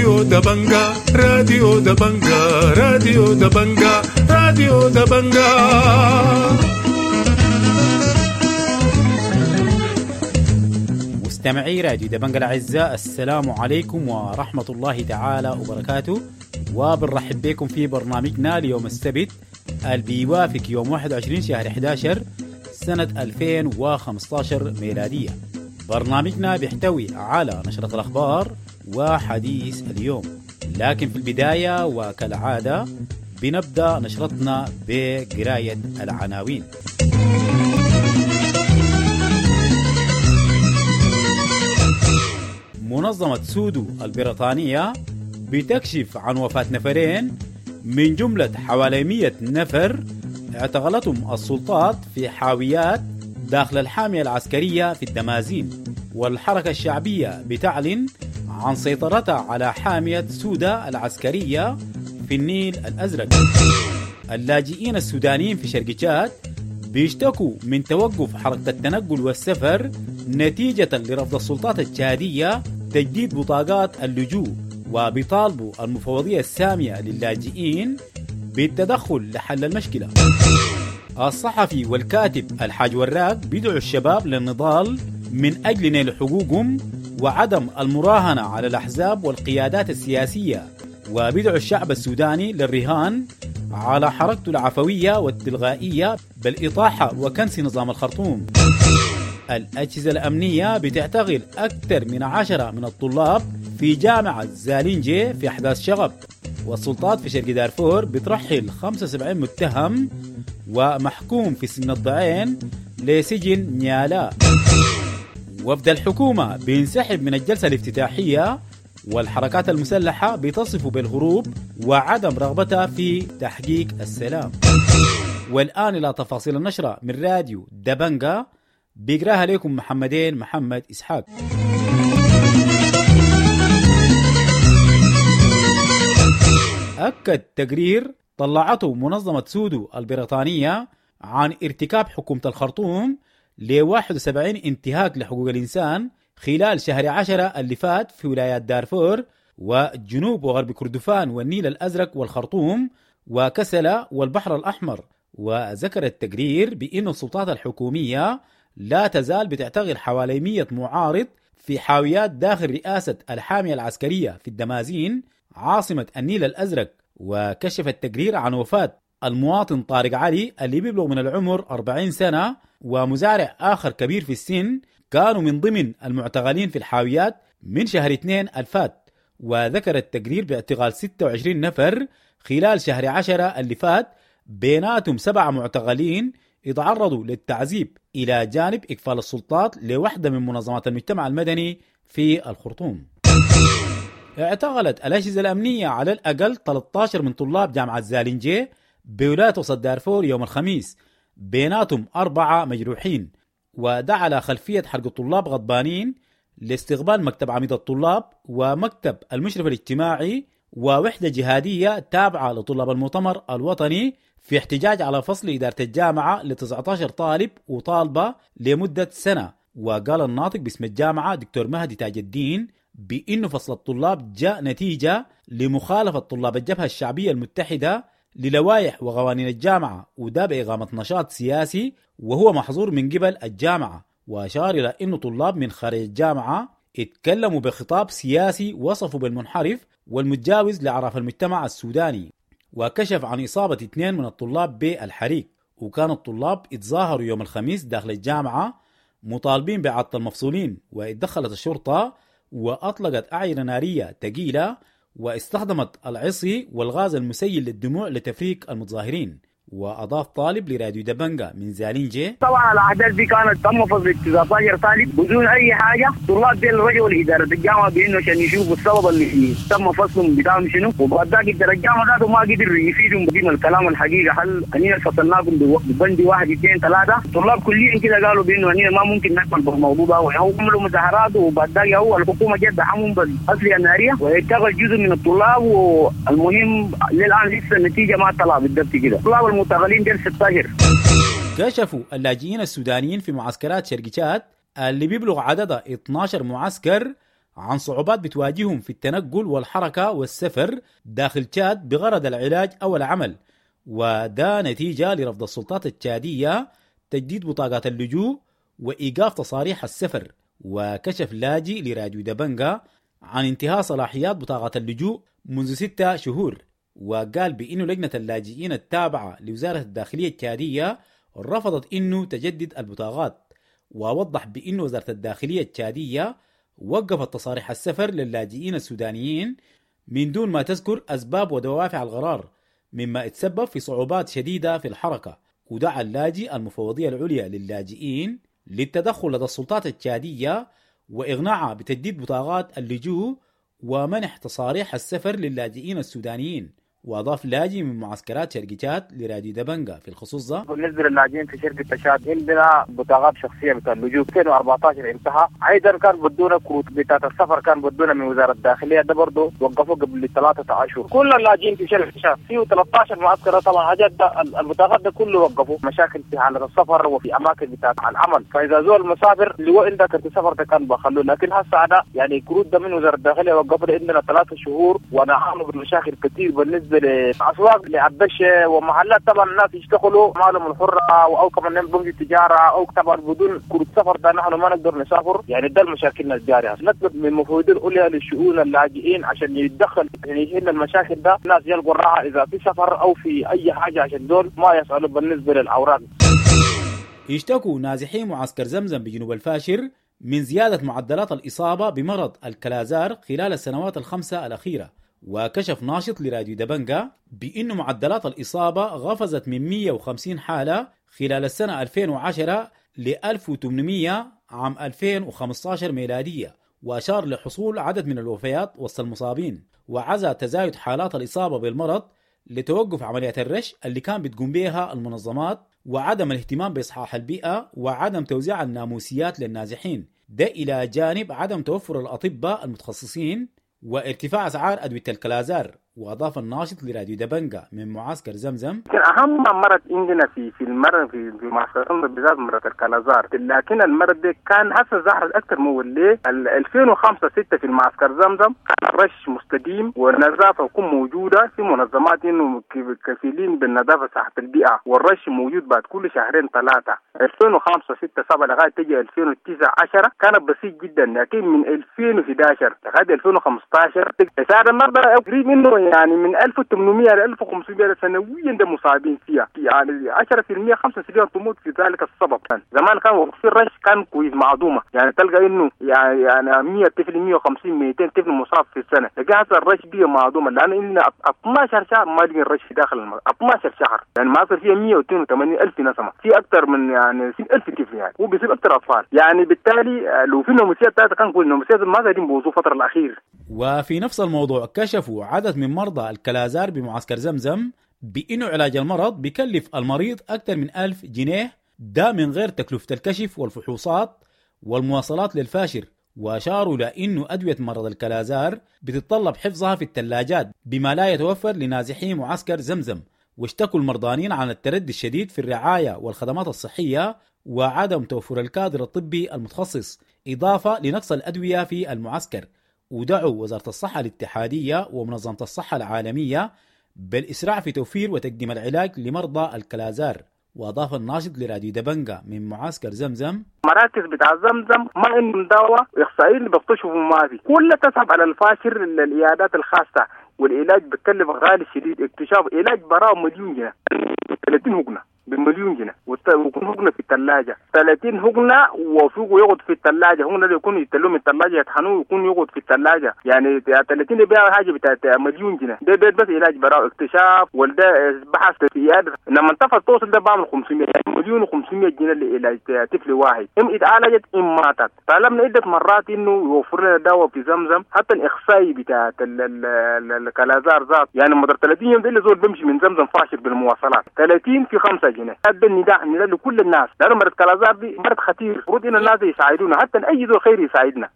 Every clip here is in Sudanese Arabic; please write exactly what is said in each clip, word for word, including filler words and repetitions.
راديو دبنجا راديو دبنجا راديو دبنجا راديو دبنجا. مستمعي راديو دبنجا الأعزاء، السلام عليكم ورحمة الله تعالى وبركاته، وبنرحب بكم في برنامجنا ليوم السبت اللي بيوافق يوم واحد وعشرين شهر أحد عشر سنة ألفين وخمسة عشر ميلادية. برنامجنا بيحتوي على نشرة الأخبار وحديث اليوم، لكن في البداية وكالعادة بنبدأ نشرتنا بقراية العناوين. منظمة سودو البريطانية بتكشف عن وفاة نفرين من جملة حوالي مئة نفر اعتقلتهم السلطات في حاويات داخل الحامية العسكرية في الدمازين، والحركة الشعبية بتعلن عن سيطرتها على حامية سودا العسكرية في النيل الأزرق. اللاجئين السودانيين في شرق تشاد بيشتكوا من توقف حركة التنقل والسفر نتيجة لرفض السلطات التشادية تجديد بطاقات اللجوء، وبيطالبوا المفوضية السامية للاجئين بالتدخل لحل المشكلة. الصحفي والكاتب الحاج وراق بيدعو الشباب للنضال من أجل نيل حقوقهم وعدم المراهنة على الأحزاب والقيادات السياسية، وبيدعو الشعب السوداني للرهان على حركته العفوية والتلغائية بالإطاحة وكنس نظام الخرطوم. الأجهزة الأمنية بتعتقل أكثر من عشرة من الطلاب في جامعة زالينجي في أحداث شغب، والسلطات في شرق دارفور بترحل خمسة وسبعين متهم ومحكوم في سن الضعين لسجن نيالا. وفد الحكومة بينسحب من الجلسة الافتتاحية، والحركات المسلحة بتصف بالهروب وعدم رغبتها في تحقيق السلام. والآن إلى تفاصيل النشرة من راديو دبنجا، بيقراها لكم محمدين محمد إسحاق. أكد تقرير طلعته منظمة سودو البريطانية عن ارتكاب حكومة الخرطوم ل واحد وسبعين انتهاك لحقوق الإنسان خلال شهر عشرة اللي فات في ولايات دارفور وجنوب وغرب كردفان والنيل الأزرق والخرطوم وكسلا والبحر الأحمر. وذكر التقرير بأن السلطات الحكومية لا تزال بتعتقل حوالي مئة معارض في حاويات داخل رئاسة الحامية العسكرية في الدمازين عاصمة النيل الأزرق. وكشف التقرير عن وفاة المواطن طارق علي اللي بيبلغ من العمر أربعين سنة ومزارع آخر كبير في السن، كانوا من ضمن المعتقلين في الحاويات من شهر اثنين الفات. وذكر التقرير باعتقال ستة وعشرين نفر خلال شهر عشرة اللي فات، بيناتهم سبعة معتقلين اتعرضوا للتعذيب، إلى جانب إقفال السلطات لوحدة من منظمات المجتمع المدني في الخرطوم. اعتقلت الأجهزة الأمنية على الأقل ثلاثة عشر من طلاب جامعة زالينجي بولاية وسط دارفور يوم الخميس، بيناتهم أربعة مجروحين، وده على خلفية حرق الطلاب غضبانين لاستقبال مكتب عميد الطلاب ومكتب المشرف الاجتماعي ووحدة جهادية تابعة لطلاب المؤتمر الوطني في احتجاج على فصل إدارة الجامعة ل تسعة عشر طالب وطالبة لمدة سنة. وقال الناطق باسم الجامعة دكتور مهدي تاج الدين بأنه فصل الطلاب جاء نتيجة لمخالفة طلاب الجبهة الشعبية المتحدة للوائح وقوانين الجامعة، وده بإقامة نشاط سياسي وهو محظور من قبل الجامعة. وأشار إلى أنه طلاب من خارج الجامعة اتكلموا بخطاب سياسي وصفوا بالمنحرف والمتجاوز لأعراف المجتمع السوداني. وكشف عن إصابة اثنين من الطلاب بالحريق، وكان الطلاب اتظاهروا يوم الخميس داخل الجامعة مطالبين بإعادة المفصولين، واتدخلت الشرطة وأطلقت أعيرة نارية ثقيلة واستخدمت العصي والغاز المسيل للدموع لتفريق المتظاهرين. وأضاف طالب لراديو دبنجا من زالينجي: طبعا الأحداث دي كانت تم فصل تسعة عشر طالب بدون أي حاجة. طلاب ديل رجعوا لإدارة الجامعة بإنه عشان يشوفوا السبب اللي تم فصلهم بتاعهم شنو، وبعد ذاك إدارة الجامعة ذاته ما قدر يفيدهم بقيمة الكلام الحقيقة. هل أننا فصلناكم ببند واحد اثنين ثلاثة؟ طلاب كليا كده قالوا بإنه أننا ما ممكن نقبل بالموضوع ده، وهو عملوا مظاهرات، وبعد ذاك هو الحكومة جت دعمهم بالأسلحة النارية واتخذ جزء من الطلاب. والمهم للآن لسه النتيجة ما طلع بالضبط كده. طلاب المعتقلين ديل ستة عشر. كشفوا اللاجئين السودانيين في معسكرات شرق تشاد اللي بيبلغ عددها اثنا عشر معسكر عن صعوبات بتواجههم في التنقل والحركة والسفر داخل تشاد بغرض العلاج أو العمل، وده نتيجة لرفض السلطات التشادية تجديد بطاقات اللجوء وإيقاف تصاريح السفر. وكشف لاجئ لراديو دبنجا عن انتهاء صلاحيات بطاقة اللجوء منذ ستة شهور، وقال بأنه لجنة اللاجئين التابعة لوزارة الداخلية التشادية رفضت أنه تجدد البطاقات. ووضح بأنه وزارة الداخلية التشادية وقفت تصاريح السفر للاجئين السودانيين من دون ما تذكر أسباب ودوافع القرار، مما اتسبب في صعوبات شديدة في الحركة. ودعا اللاجئ المفوضية العليا للاجئين للتدخل لدى السلطات التشادية وإغناعها بتجديد بطاقات اللجوء ومنح تصاريح السفر للاجئين السودانيين. وأضاف لاجئ من معسكرات شرق تشاد لراديو دبنجا في الخصوص ده: بالنسبة للاجئين في شرق تشاد عندنا بطاقات شخصية بتاع اللجوء ألفين وأربعة عشر انتهى، أيضا كان بدونا كروت بتاعت السفر كان بدونا من وزارة الداخلية، ده برضه وقفوا قبل ثلاثة أشهر. كل اللاجئين في شرق تشاد فيه ثلاثة عشر معسكر طبعا حاجات ده البطاقات ده كله وقفوا، مشاكل في حالة السفر وفي أماكن بتاعت العمل، فإذا زول مسافر اللي هو عنده كرت سفر ده كان بخلوه، لكن هسه ده يعني كروت ده من وزارة الداخلية وقفوا عندنا ثلاثة شهور ونعاني بمشاكل كثير بالنسبة لأسواق لعبشة ومحلات. طبعا الناس يشتغلوا مالهم الحرة أو كمان بنك التجارة أو طبعا بدون كروت سفر ده نحن ما نقدر نسافر، يعني ده المشاكل الجارية. نطلب من المفوضين العليا للشؤون اللاجئين عشان يتدخل يعني يحل المشاكل ده، الناس يلقوا الراحة إذا في سفر أو في أي حاجة عشان دول ما يسألوا بالنسبة للأوراق. يشتكوا نازحي معسكر زمزم بجنوب الفاشر من زيادة معدلات الإصابة بمرض الكلازار خلال السنوات الخمسة الأخيرة. وكشف ناشط لراديو دبنجا بأن معدلات الإصابة غفزت من مئة وخمسين حالة خلال السنة ألفين وعشرة ل ألف وثمانمئة عام ألفين وخمسة عشر ميلادية، وأشار لحصول عدد من الوفيات وسط المصابين. وعزى تزايد حالات الإصابة بالمرض لتوقف عمليات الرش اللي كان بتقوم بها المنظمات وعدم الاهتمام بإصحاح البيئة وعدم توزيع الناموسيات للنازحين، ده إلى جانب عدم توفر الأطباء المتخصصين وارتفاع أسعار أدوية الكلازار. وأضاف الناشط لراديو دبنجا من معسكر زمزم: أهم مرض عندنا في في المرض في في معسكر زمزم بالذات مرض الكلازار، لكن المرض ده كان هسه ظهر أكثر موليه ألفين وخمسة ستة في المعسكر زمزم، كان الرش مستديم والنظافة تكون موجودة في منظمات إنه كفيلين بالنظافة صحة البيئة، والرش موجود بعد كل شهرين ثلاثة. ألفين وخمسة ستة سبعة لغاية تجي ألفين وتسعة عشر كانت بسيط جدا، لكن من ألفين وإحدى عشر لغاية ألفين وخمسة عشر صار المرض قريب منه يعني من ألف وثمانمئة إلى ألف وخمسمئة سنويا ده مصابين فيها، يعني عشرة بالمئة خمسة بالمئة تموت في ذلك السبب. كان زمان كان في الرش كان كويس معدومة، يعني تلقى إنه يعني يعني مئة طفل مئة وخمسين مئتين طفل مصاب في السنة، لكن هسه الرش بيه معدومة لأن إلنا اثنا عشر شهر ما لقينا الرش في داخل المرض، اثنا عشر شهر يعني ما صار فيها مئة واثنين وثمانين ألف نسمة، في أكثر من يعني ألف طفل يعني وبيصيب أكثر أطفال، يعني بالتالي لو في نوموسيات ثلاثة كان كل نوموسيات ما قاعدين بوظوا الفترة الأخير. وفي نفس الموضوع كشفوا عدد من مرضى الكلازار بمعسكر زمزم بأنه علاج المرض بيكلف المريض أكثر من ألف جنيه، ده من غير تكلفة الكشف والفحوصات والمواصلات للفاشر. وأشاروا لأنه أدوية مرض الكلازار بتتطلب حفظها في الثلاجات بما لا يتوفر لنازحي معسكر زمزم. واشتكوا المرضانين عن التردي الشديد في الرعاية والخدمات الصحية وعدم توفر الكادر الطبي المتخصص، إضافة لنقص الأدوية في المعسكر. ودعوا وزارة الصحة الاتحادية ومنظمة الصحة العالمية بالإسراع في توفير وتقديم العلاج لمرضى الكلازار. وأضاف الناشط لراديو دبنجا من معسكر زمزم: مراكز بتاع زمزم ما عندهم دواء، إحصائيين اللي بيكتشفوا ما في، كلها تسحب على الفاشر للعيادات الخاصة، والعلاج بتكلف غالي شديد، اكتشاف علاج براه مليون جنيه، ثلاثين هجنة بمليون جنيه، ويكون هجنة في الثلاجة ثلاثين هجنة وفوقه يقعد في الثلاجة، هجنة اللي يكون يتلوه من الثلاجة يطحنوه ويكون يقعد في الثلاجة، يعني ثلاثين بيع حاجة بتاعت مليون جنيه، ده بيت بس علاج براء اكتشاف وده بحث في عيادة، لما انتفض توصل ده بعمل خمسمية مليون وخمسمية جنيه لعلاج طفل واحد، ام اتعالجت ام ماتت. طلبنا عدة مرات انه يوفر لنا دواء في زمزم، حتى الاخصائي بتاعت الكلازار ذات، يعني مدار ثلاثين يوم ده اللي زول بمشي من زمزم فاشل بالمواصلات ثلاثين في خمسة جنيه. هذا النداء النداء لكل الناس، لأنه مرض كلازار دي مرض خطير، المفروض إن الناس يساعدونا، حتى أي ذو خير يساعدنا.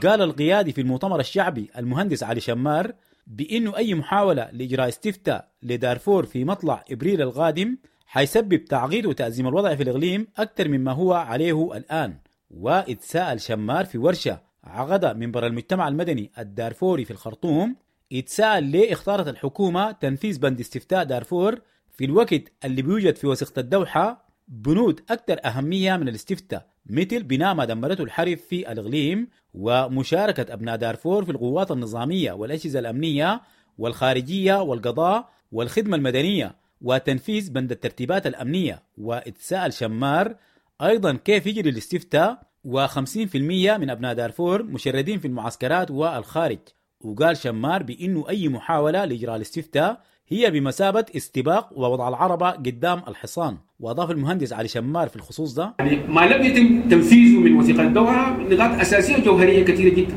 قال القيادي في المؤتمر الشعبي المهندس علي شمار بأنه أي محاولة لإجراء استفتاء لدارفور في مطلع إبريل القادم حيسبب تعقيد وتأزيم الوضع في الإقليم أكثر مما هو عليه الآن. واتساءل شمار في ورشة عقد منبر المجتمع المدني الدارفوري في الخرطوم، اتساءل ليه اختارت الحكومة تنفيذ بند استفتاء دارفور في الوقت اللي بيوجد في وثيقة الدوحة بنود أكثر أهمية من الاستفتاء، مثل بناء ما دمرته الحرب في الإقليم ومشاركة أبناء دارفور في القوات النظامية والأجهزة الأمنية والخارجية والقضاء والخدمة المدنية وتنفيذ بند الترتيبات الأمنية. واتساءل شمار أيضا كيف يجري الاستفتاء وخمسين في المية من أبناء دارفور مشردين في المعسكرات والخارج. وقال شمار بأنه أي محاولة لإجراء الاستفتاء هي بمثابة استباق ووضع العربة قدام الحصان. وأضاف المهندس علي شمار في الخصوص ده: يعني ما لم يتم تنفيذه من وثيقة الدوحة نقاط أساسية جوهرية كثيرة جدا.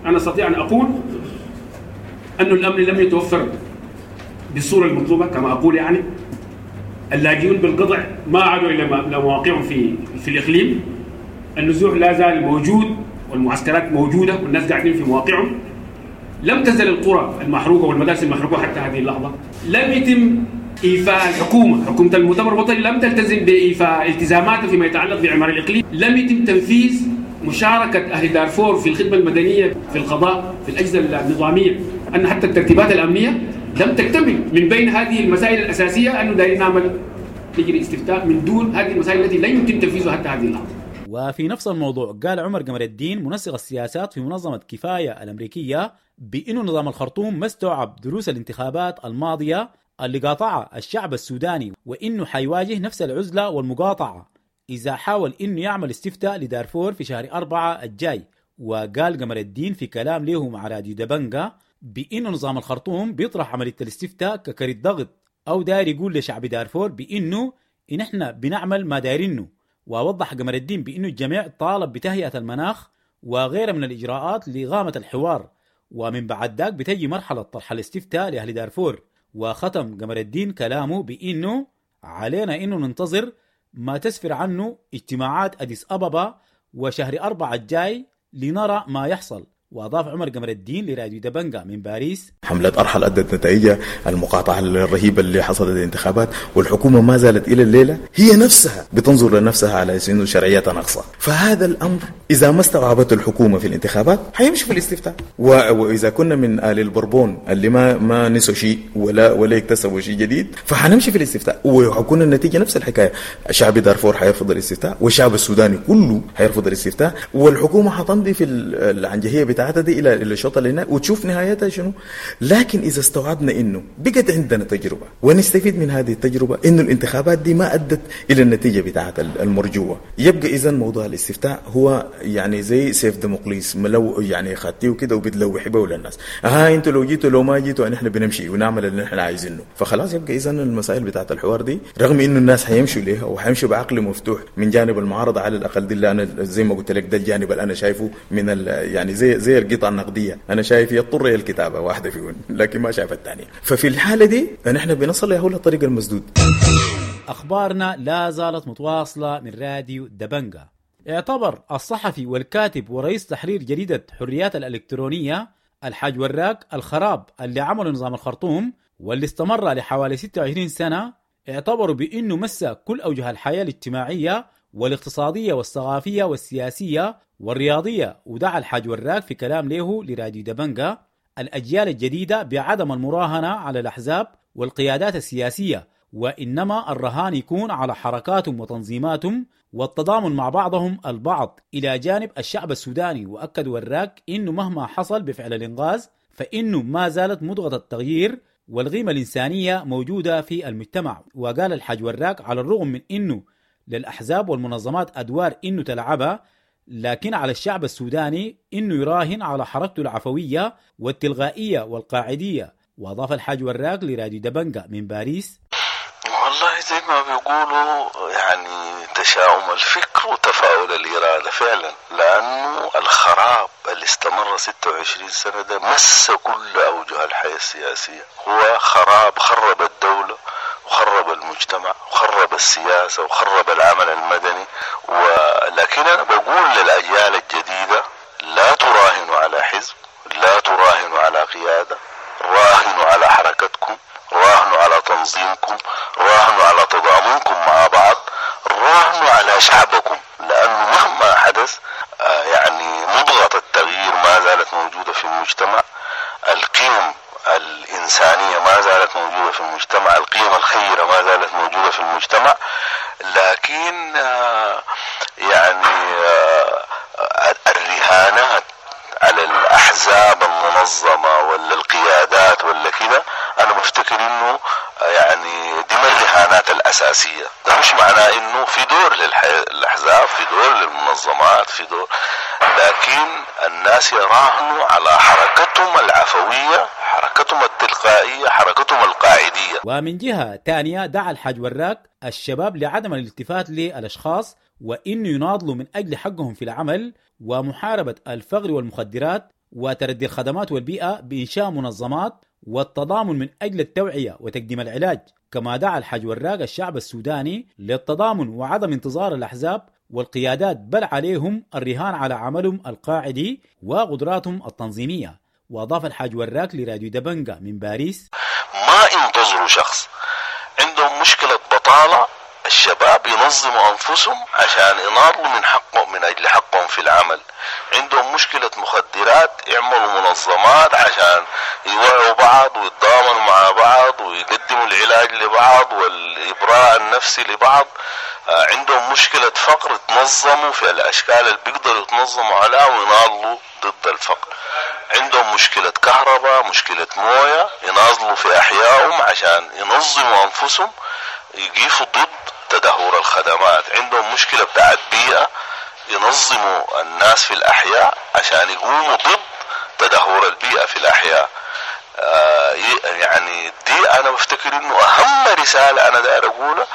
أنا أستطيع أن أقول أن الأمن لم يتوفر بالصورة المطلوبة، كما أقول يعني اللاجئون بالقطع ما عادوا إلى مواقعهم في في الإقليم، النزوح لا زال موجود والمعسكرات موجودة والناس قاعدين في مواقعهم، لم تزل القرى المحروقة والمدارس المحروقة حتى هذه اللحظة، لم يتم إيفاء الحكومة، حكومة المؤتمر الوطني لم تلتزم بإيفاء التزاماتها فيما يتعلق بعمار الإقليم، لم يتم تنفيذ مشاركة أهل دارفور في الخدمة المدنية، في القضاء، في الأجهزة النظامية، أن حتى الترتيبات الأمنية لم تكتمل. من بين هذه المسائل الأساسية أنه دايرين نعمل نجري استفتاء من دون هذه المسائل التي لا يمكن تنفيذها حتى هذه اللحظة. وفي نفس الموضوع قال عمر قمر الدين منسق السياسات في منظمة كفاية الأمريكية بأنه نظام الخرطوم ما استوعب دروس الانتخابات الماضية اللي قاطعها الشعب السوداني، وإنه حيواجه نفس العزلة والمقاطعة إذا حاول إنه يعمل استفتاء لدارفور في شهر أربعة الجاي. وقال قمر الدين في كلام له مع راديو دبنجا بأنه نظام الخرطوم بيطرح عملية الاستفتاء ككرت ضغط أو داير يقول لشعب دارفور بأنه إن إحنا بنعمل ما دايرينه. ووضح قمر الدين بأنه الجميع طالب بتهيئة المناخ وغيرها من الإجراءات لإقامة الحوار، ومن بعد ذاك بتجي مرحلة طرح الاستفتاء لأهل دارفور. وختم قمر الدين كلامه بأنه علينا أنه ننتظر ما تسفر عنه اجتماعات أديس أبابا وشهر أربعة الجاي لنرى ما يحصل. وأضاف عمر قمر الدين لراديو دبنجا من باريس: حملة أرحل أدت نتائجها، المقاطعة الرهيبة اللي حصلت الانتخابات، والحكومة ما زالت إلى الليلة هي نفسها بتنظر لنفسها على أنه شرعيتها ناقصة. فهذا الأمر إذا ما استوعبته الحكومة في الانتخابات حيمشي في الاستفتاء. وإذا كنا من آل البربون اللي ما ما نسوا شيء ولا ولا اكتسبوا شيء جديد فحنمشي في الاستفتاء، وحكون النتيجة نفس الحكاية. شعب دارفور حيرفض الاستفتاء، والشعب السوداني كله حيرفض الاستفتاء، والحكومة حتمضي في العنجهية بتاعتها دي الى الشوط اللي هناك وتشوف نهايتها شنو. لكن اذا استوعبنا انه بقت عندنا تجربه ونستفيد من هذه التجربه، انه الانتخابات دي ما ادت الى النتيجه بتاعت المرجوه، يبقى اذا موضوع الاستفتاء هو يعني زي سيف ديموقليس، لو يعني خدتيه كده وبتلوحي به للناس، ها انتوا لو جيتوا لو ما جيتوا نحن بنمشي ونعمل اللي نحن عايزينه. فخلاص يبقى اذا المسائل بتاعت الحوار دي رغم انه الناس حيمشوا ليها وحيمشوا بعقل مفتوح من جانب المعارضه على الاقل، دي اللي انا زي ما قلت لك ده الجانب اللي انا شايفه من يعني زي زي القطعة النقدية، أنا شايف يضطر هي الكتابة واحدة فيهم لكن ما شايف الثانية. ففي الحالة دي نحن بنصل له للطريق المسدود. أخبارنا لا زالت متواصلة من راديو دبنجا. اعتبر الصحفي والكاتب ورئيس تحرير جريدة حريات الإلكترونية الحاج وراك الخراب اللي عمله نظام الخرطوم واللي استمر لحوالي ستة وعشرين سنة، اعتبروا بأنه مس كل أوجه الحياة الاجتماعية والاقتصادية والثقافية والسياسية والرياضية. ودعا الحاج وراك في كلام له لراديو دبنجا الأجيال الجديدة بعدم المراهنة على الأحزاب والقيادات السياسية، وإنما الرهان يكون على حركاتهم وتنظيماتهم والتضامن مع بعضهم البعض إلى جانب الشعب السوداني. وأكد وراك إنه مهما حصل بفعل الإنغاز فإنه ما زالت مضغة التغيير والقيمة الإنسانية موجودة في المجتمع. وقال الحاج وراك على الرغم من إنه للأحزاب والمنظمات أدوار إنه تلعبها، لكن على الشعب السوداني إنه يراهن على حركته العفوية والتلغائية والقاعدية. وأضاف الحاج وراك لراديو دبنجا من باريس: والله زي ما بيقولوا يعني تشاؤم الفكر وتفاؤل الإرادة فعلا، لأنه الخراب اللي استمر ستة وعشرين سنة ده مس كل أوجه الحياة السياسية. هو خراب خرب الدولة وخرب المجتمع وخرب السياسة وخرب العمل المدني. ولكن أنا بقول للأجيال الجديدة لا تراهنوا على حزب، لا تراهنوا على قيادة، راهنوا على حركتكم، راهنوا على تنظيمكم، راهنوا على تضامنكم مع بعض، راهنوا على شعبكم، لأنه مهما حدث يعني مضغة التغيير المجتمع، القيم الإنسانية ما زالت موجودة في المجتمع، القيم الخيرة ما زالت موجودة في المجتمع، لكن يعني الرهانات على الأحزاب المنظمة ولا القيادات ولا كده، أنا بفتكر إنه يعني دي من الرهانات الأساسية. ده مش معناه إنه في دور للأحزاب، في دور للمنظمات، في دور، لكن الناس يراهنوا على حركتهم العفوية، حركتهم التلقائية، حركتهم القاعدية. ومن جهة تانية دعا الحاج وراق الشباب لعدم الالتفات للأشخاص، وإنه يناضلوا من أجل حقهم في العمل ومحاربة الفقر والمخدرات وتردي الخدمات والبيئة بإنشاء منظمات والتضامن من أجل التوعية وتقديم العلاج. كما دعا الحاج وراق الشعب السوداني للتضامن وعدم انتظار الأحزاب والقيادات، بل عليهم الرهان على عملهم القاعدي وقدراتهم التنظيمية. وأضاف الحاج وراق لراديو دبنجة من باريس: ما انتظروا شخص عندهم مشكلة بطالة، الشباب ينظموا أنفسهم عشان يناضلوا من حقهم، من أجل حقهم في العمل. عندهم مشكلة مخدرات، يعملوا منظمات عشان يوعوا بعض ويتضامنوا مع بعض ويقدموا العلاج لبعض والإبراء النفسي لبعض. عندهم مشكلة فقر، تنظموا في الأشكال اللي بيقدروا يتنظموا عليها ويناضلوا ضد الفقر. عندهم مشكلة كهرباء، مشكلة موية، يناضلوا في أحيائهم عشان ينظموا أنفسهم، يقفوا ضد تدهور الخدمات. عندهم مشكلة بتاعت بيئة، ينظموا الناس في الأحياء عشان يقوموا ضد تدهور البيئة في الأحياء. آه يعني دي أنا بفتكر إنه أهم رسالة أنا داير أقولها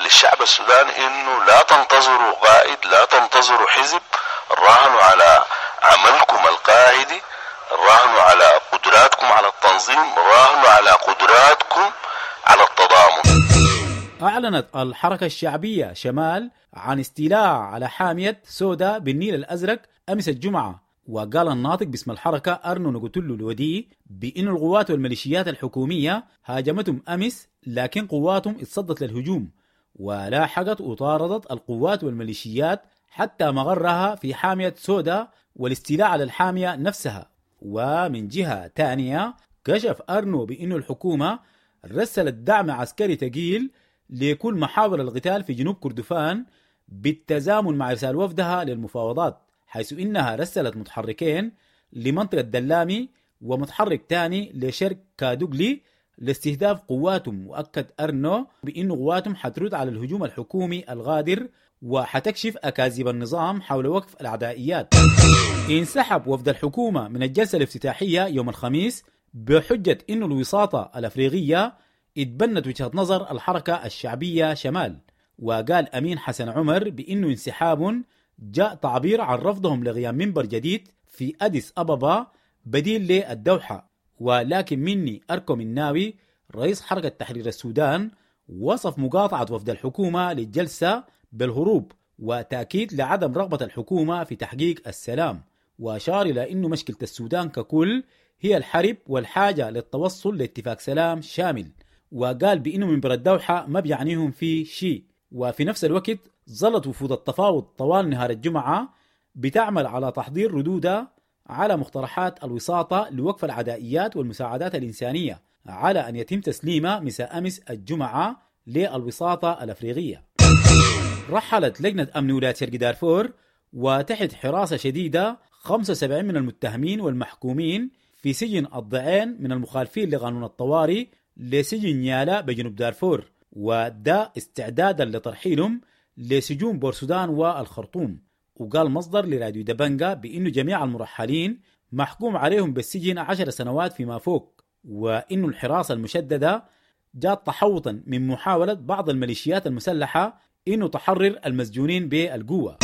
للشعب السوداني، إنه لا تنتظروا قائد، لا تنتظروا حزب، راهنوا على عملكم القاعدي، راهنوا على قدراتكم على التنظيم، راهنوا على قدراتكم على التضامن. أعلنت الحركة الشعبية شمال عن استيلاء على حامية سودا بالنيل الأزرق أمس الجمعة. وقال الناطق باسم الحركة أرنو نقتلو الودي بأن القوات والميليشيات الحكومية هاجمتهم أمس، لكن قواتهم اتصدت للهجوم ولاحقت وطاردت القوات والميليشيات حتى مغرها في حامية سودا والاستيلاء على الحامية نفسها. ومن جهة تانية كشف أرنو بأن الحكومة رسلت دعم عسكري ثقيل لكل محاور القتال في جنوب كردفان بالتزامن مع إرسال وفدها للمفاوضات، حيث إنها رسلت متحركين لمنطقة دلامي ومتحرك تاني لشرق كادوغلي لاستهداف قواتهم. وأكد أرنو بأن قواتهم حترد على الهجوم الحكومي الغادر وحتكشف أكاذيب النظام حول وقف العدائيات. انسحب وفد الحكومة من الجلسة الافتتاحية يوم الخميس بحجة أن الوساطة الأفريقية اتبنت وجهة نظر الحركة الشعبية شمال. وقال أمين حسن عمر بأنه انسحاب جاء تعبير عن رفضهم لغياب منبر جديد في أديس أبابا بديل للدوحة. ولكن مني أركو مناوي رئيس حركة تحرير السودان وصف مقاطعة وفد الحكومة للجلسة بالهروب وتأكيد لعدم رغبة الحكومة في تحقيق السلام، وأشار إلى أنه مشكلة السودان ككل هي الحرب والحاجة للتوصل لاتفاق سلام شامل. وقال بأنه منبر الدوحة ما بيعنيهم فيه شيء. وفي نفس الوقت ظلت وفود التفاوض طوال نهار الجمعة بتعمل على تحضير ردودها على مقترحات الوساطة لوقف العدائيات والمساعدات الإنسانية على أن يتم تسليمها مساء أمس الجمعة للوساطة الأفريقية. رحلت لجنة أمن ولاية شرق دارفور وتحت حراسة شديدة خمسة وسبعين من المتهمين والمحكومين في سجن الضعين من المخالفين لقانون الطوارئ لسجن نيالا بجنوب دارفور، وده استعدادا لترحيلهم لسجون بورسودان والخرطوم. وقال مصدر لراديو دبنجا بأنه جميع المرحلين محكوم عليهم بالسجن عشر سنوات فيما فوق، وإنه الحراسة المشددة جاءت تحوطا من محاولة بعض الميليشيات المسلحة إنه تحرر المسجونين بالقوة.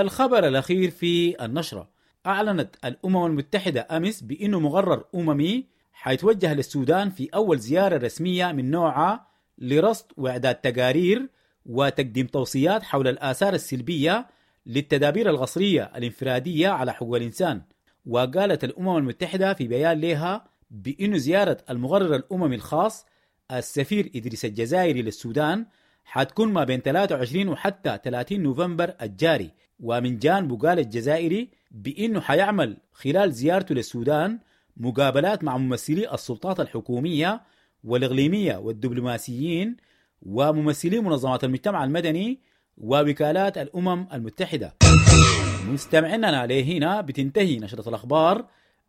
الخبر الأخير في النشرة: أعلنت الأمم المتحدة أمس بأنه مقرر أممي حيتوجه للسودان في أول زيارة رسمية من نوعها لرصد وإعداد تقارير وتقديم توصيات حول الآثار السلبية للتدابير القسرية الانفرادية على حقوق الإنسان. وقالت الأمم المتحدة في بيان لها بأن زيارة المقرر الأممي الخاص السفير إدريس الجزائري للسودان حتكون ما بين ثلاثة وعشرين وحتى ثلاثين نوفمبر الجاري. ومن جانبه قال الجزائري بأنه حيعمل خلال زيارته للسودان مقابلات مع ممثلي السلطات الحكومية والإقليمية والدبلوماسيين وممثلي منظمات المجتمع المدني ووكالات الأمم المتحدة. مستمعينا لهنا بتنتهي نشرة الأخبار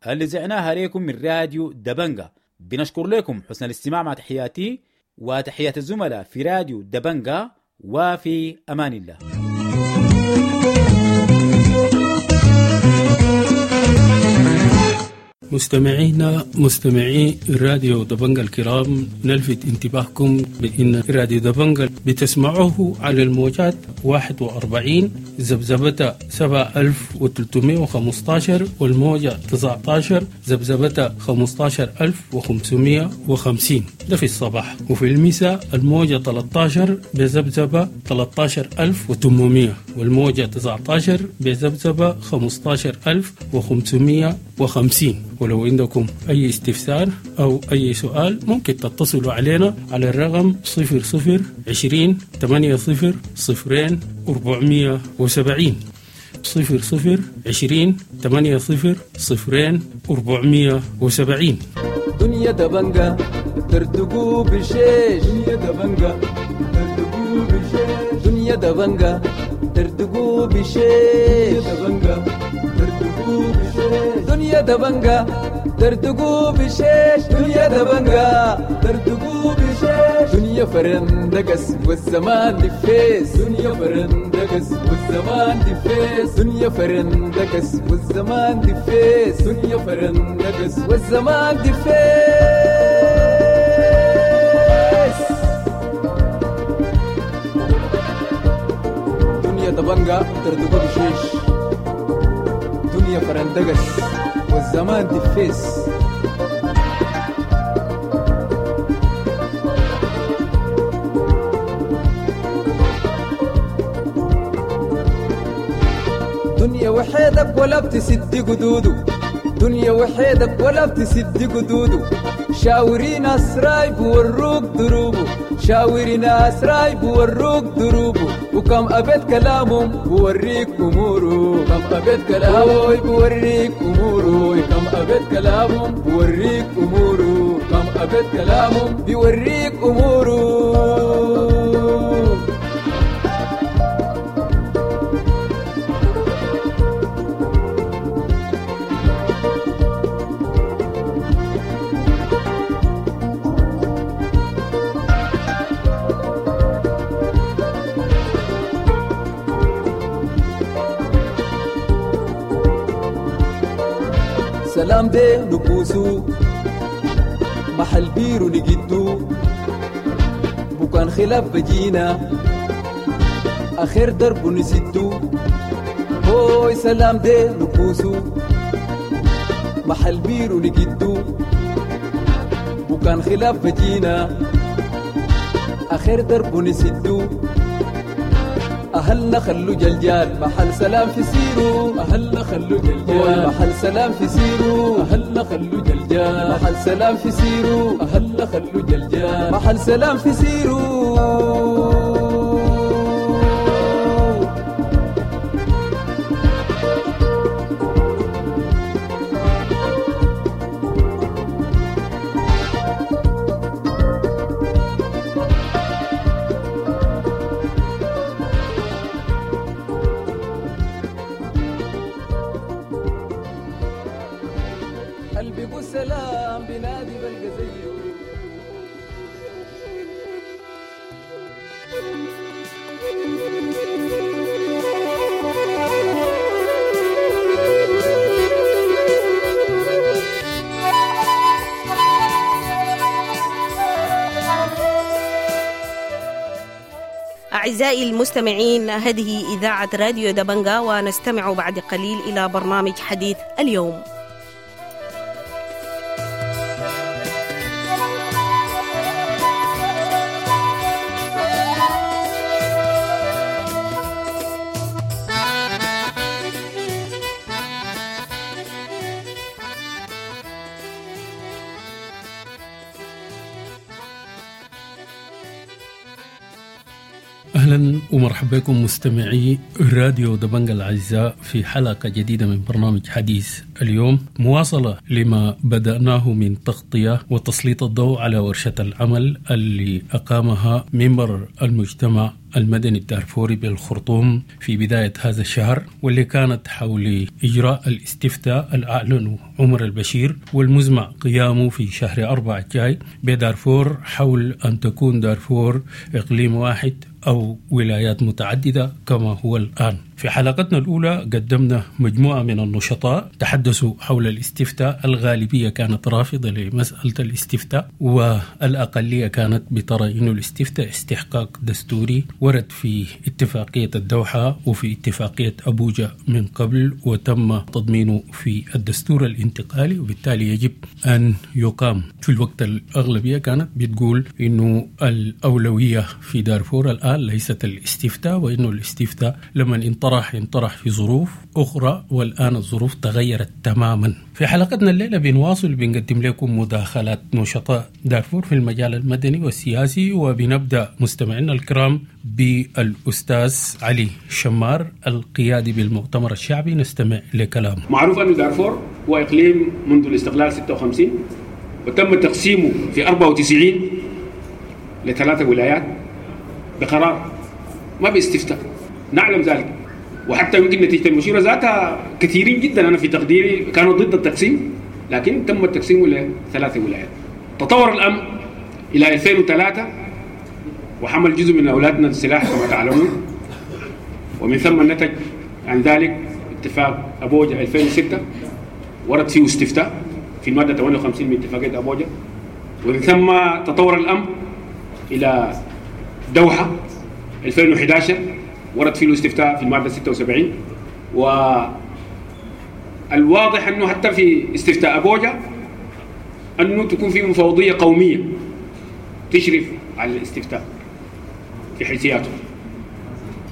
اللي زعناها لكم من راديو دبنجا. بنشكر لكم حسن الاستماع، مع تحياتي وتحيات الزملاء في راديو دبنجا، وفي أمان الله. مستمعينا مستمعي راديو دبنجا الكرام، نلفت انتباهكم بأن راديو دبنجا بتسمعوه على الموجات واحد وأربعين ذبذبة سبعة ألف وثلاثمائة وخمسة عشر والموجة تسعة عشر ذبذبة خمسة عشر ألف وخمسمائة وخمسين، ده في الصباح، وفي المساء الموجة ثلاثة عشر بذبذبة ثلاثة عشر ألف وثمانمائة والموجة تسعة عشر بذبذبة خمسة عشر ألف وخمسمائة وخمسين. ولو عندكم أي استفسار أو أي سؤال ممكن تتصلوا علينا على الرقم صفر صفر عشرين ثمانية صفر صفرين أربعمية وسبعين، صفر صفر عشرين ثمانية صفر صفرين أربعمية وسبعين. دنيا دبنجا تردقوا بشيش، دنيا دبنجا تردقوا بشيش، دنيا دبنجا تردقوا بشيش، دبنجا تردقوا بشيش، دنيا دبنجا تردقوا بشيش، دنيا دبنجا تردقوا بشيش، دنيا فرندقس والزمان دفيس، دنيا فرندقس والزمان دفيس، دنيا فرندقس والزمان دفيس، دنيا فرندقس والزمان دفيس. دنيا دبنجا تردقوا بشيش، دنيا فرندقس والزمان دفيس. دنيا وحيدك ولا بتسد قدوده، دنيا وحيدك ولا بتسد قدوده، شاوري ناس رايب وروك دروبه، شاوري ناس رايب وروك دروبه، وكم أبيت كلامهم بوريك أموره، كم أبيت كلامهم بوريك أموره، كم أبيت كلامهم بوريك أموره، كم أبيت كلامهم بيوريك أموره. سلام دي نكوسو محل بيرو نجدو، بكان خلاف بجينا آخر درب نسدو، هوي سلام دي نكوسو محل بيرو نجدو، بكان خلاف بجينا آخر درب نسدو، أهلنا خلو جلجال محل سلام في سيرو، أهلنا خلو جلجال محل سلام في سيرو، أهلنا خلو جلجال محل سلام في سيرو، أهلنا خلو جلجال محل سلام في سيرو. أعزائي المستمعين، هذه إذاعة راديو دبنجا، ونستمع بعد قليل إلى برنامج حديث اليوم. أهلا أهلا ومرحبا بكم مستمعي راديو دبنجا الأعزاء في حلقة جديدة من برنامج حديث اليوم، مواصلة لما بدأناه من تغطية وتسليط الضوء على ورشة العمل اللي أقامها منبر المجتمع المدني الدارفوري بالخرطوم في بداية هذا الشهر، واللي كانت حول إجراء الاستفتاء الأعلنه عمر البشير والمزمع قيامه في شهر أربعة الجاي بدارفور حول أن تكون دارفور إقليم واحد أو ولايات متعددة كما هو الآن. في حلقتنا الأولى قدمنا مجموعة من النشطاء تحدثوا حول الاستفتاء، الغالبية كانت رافضة لمسألة الاستفتاء والأقلية كانت بترى أن الاستفتاء استحقاق دستوري ورد في اتفاقية الدوحة وفي اتفاقية أبوجا من قبل وتم تضمينه في الدستور الانتقالي، وبالتالي يجب أن يقام. في الوقت الأغلبية كانت بتقول أنه الأولوية في دارفور الآن ليست الاستفتاء، وأنه الاستفتاء لما انطرح انطرح في ظروف أخرى والآن الظروف تغيرت تماما. في حلقتنا الليلة بنواصل بنقدم لكم مداخلات نشطاء دارفور في المجال المدني والسياسي، وبنبدأ مستمعينا الكرام بالأستاذ علي شمار القيادي بالمؤتمر الشعبي، نستمع لكلامه. معروف أن دارفور هو إقليم منذ الاستقلال ستة وخمسين وتم تقسيمه في أربعة وتسعين لثلاثة ولايات بقرار ما باستفتاء، نعلم ذلك. وحتى يمكن نتيجة المشيرة ذاتها كثيرين جدا أنا في تقديري كانوا ضد التقسيم، لكن تم التقسيم لثلاث ولايات. تطور الأمر إلى ألفين وثلاثة وحمل جزء من أولادنا السلاح كما تعلمون، ومن ثم نتج عن ذلك اتفاق أبوجا ألفين وستة ورد فيه استفتاء في المادة ثمانية وخمسين من اتفاقية أبوجا، ومن ثم تطور الأمر إلى دوحة ألفين وأحد عشر ورد فيه الاستفتاء في المادة ستة وسبعين. والواضح أنه حتى في استفتاء أبوجا أنه تكون في مفوضية قومية تشرف على الاستفتاء في حيثياته.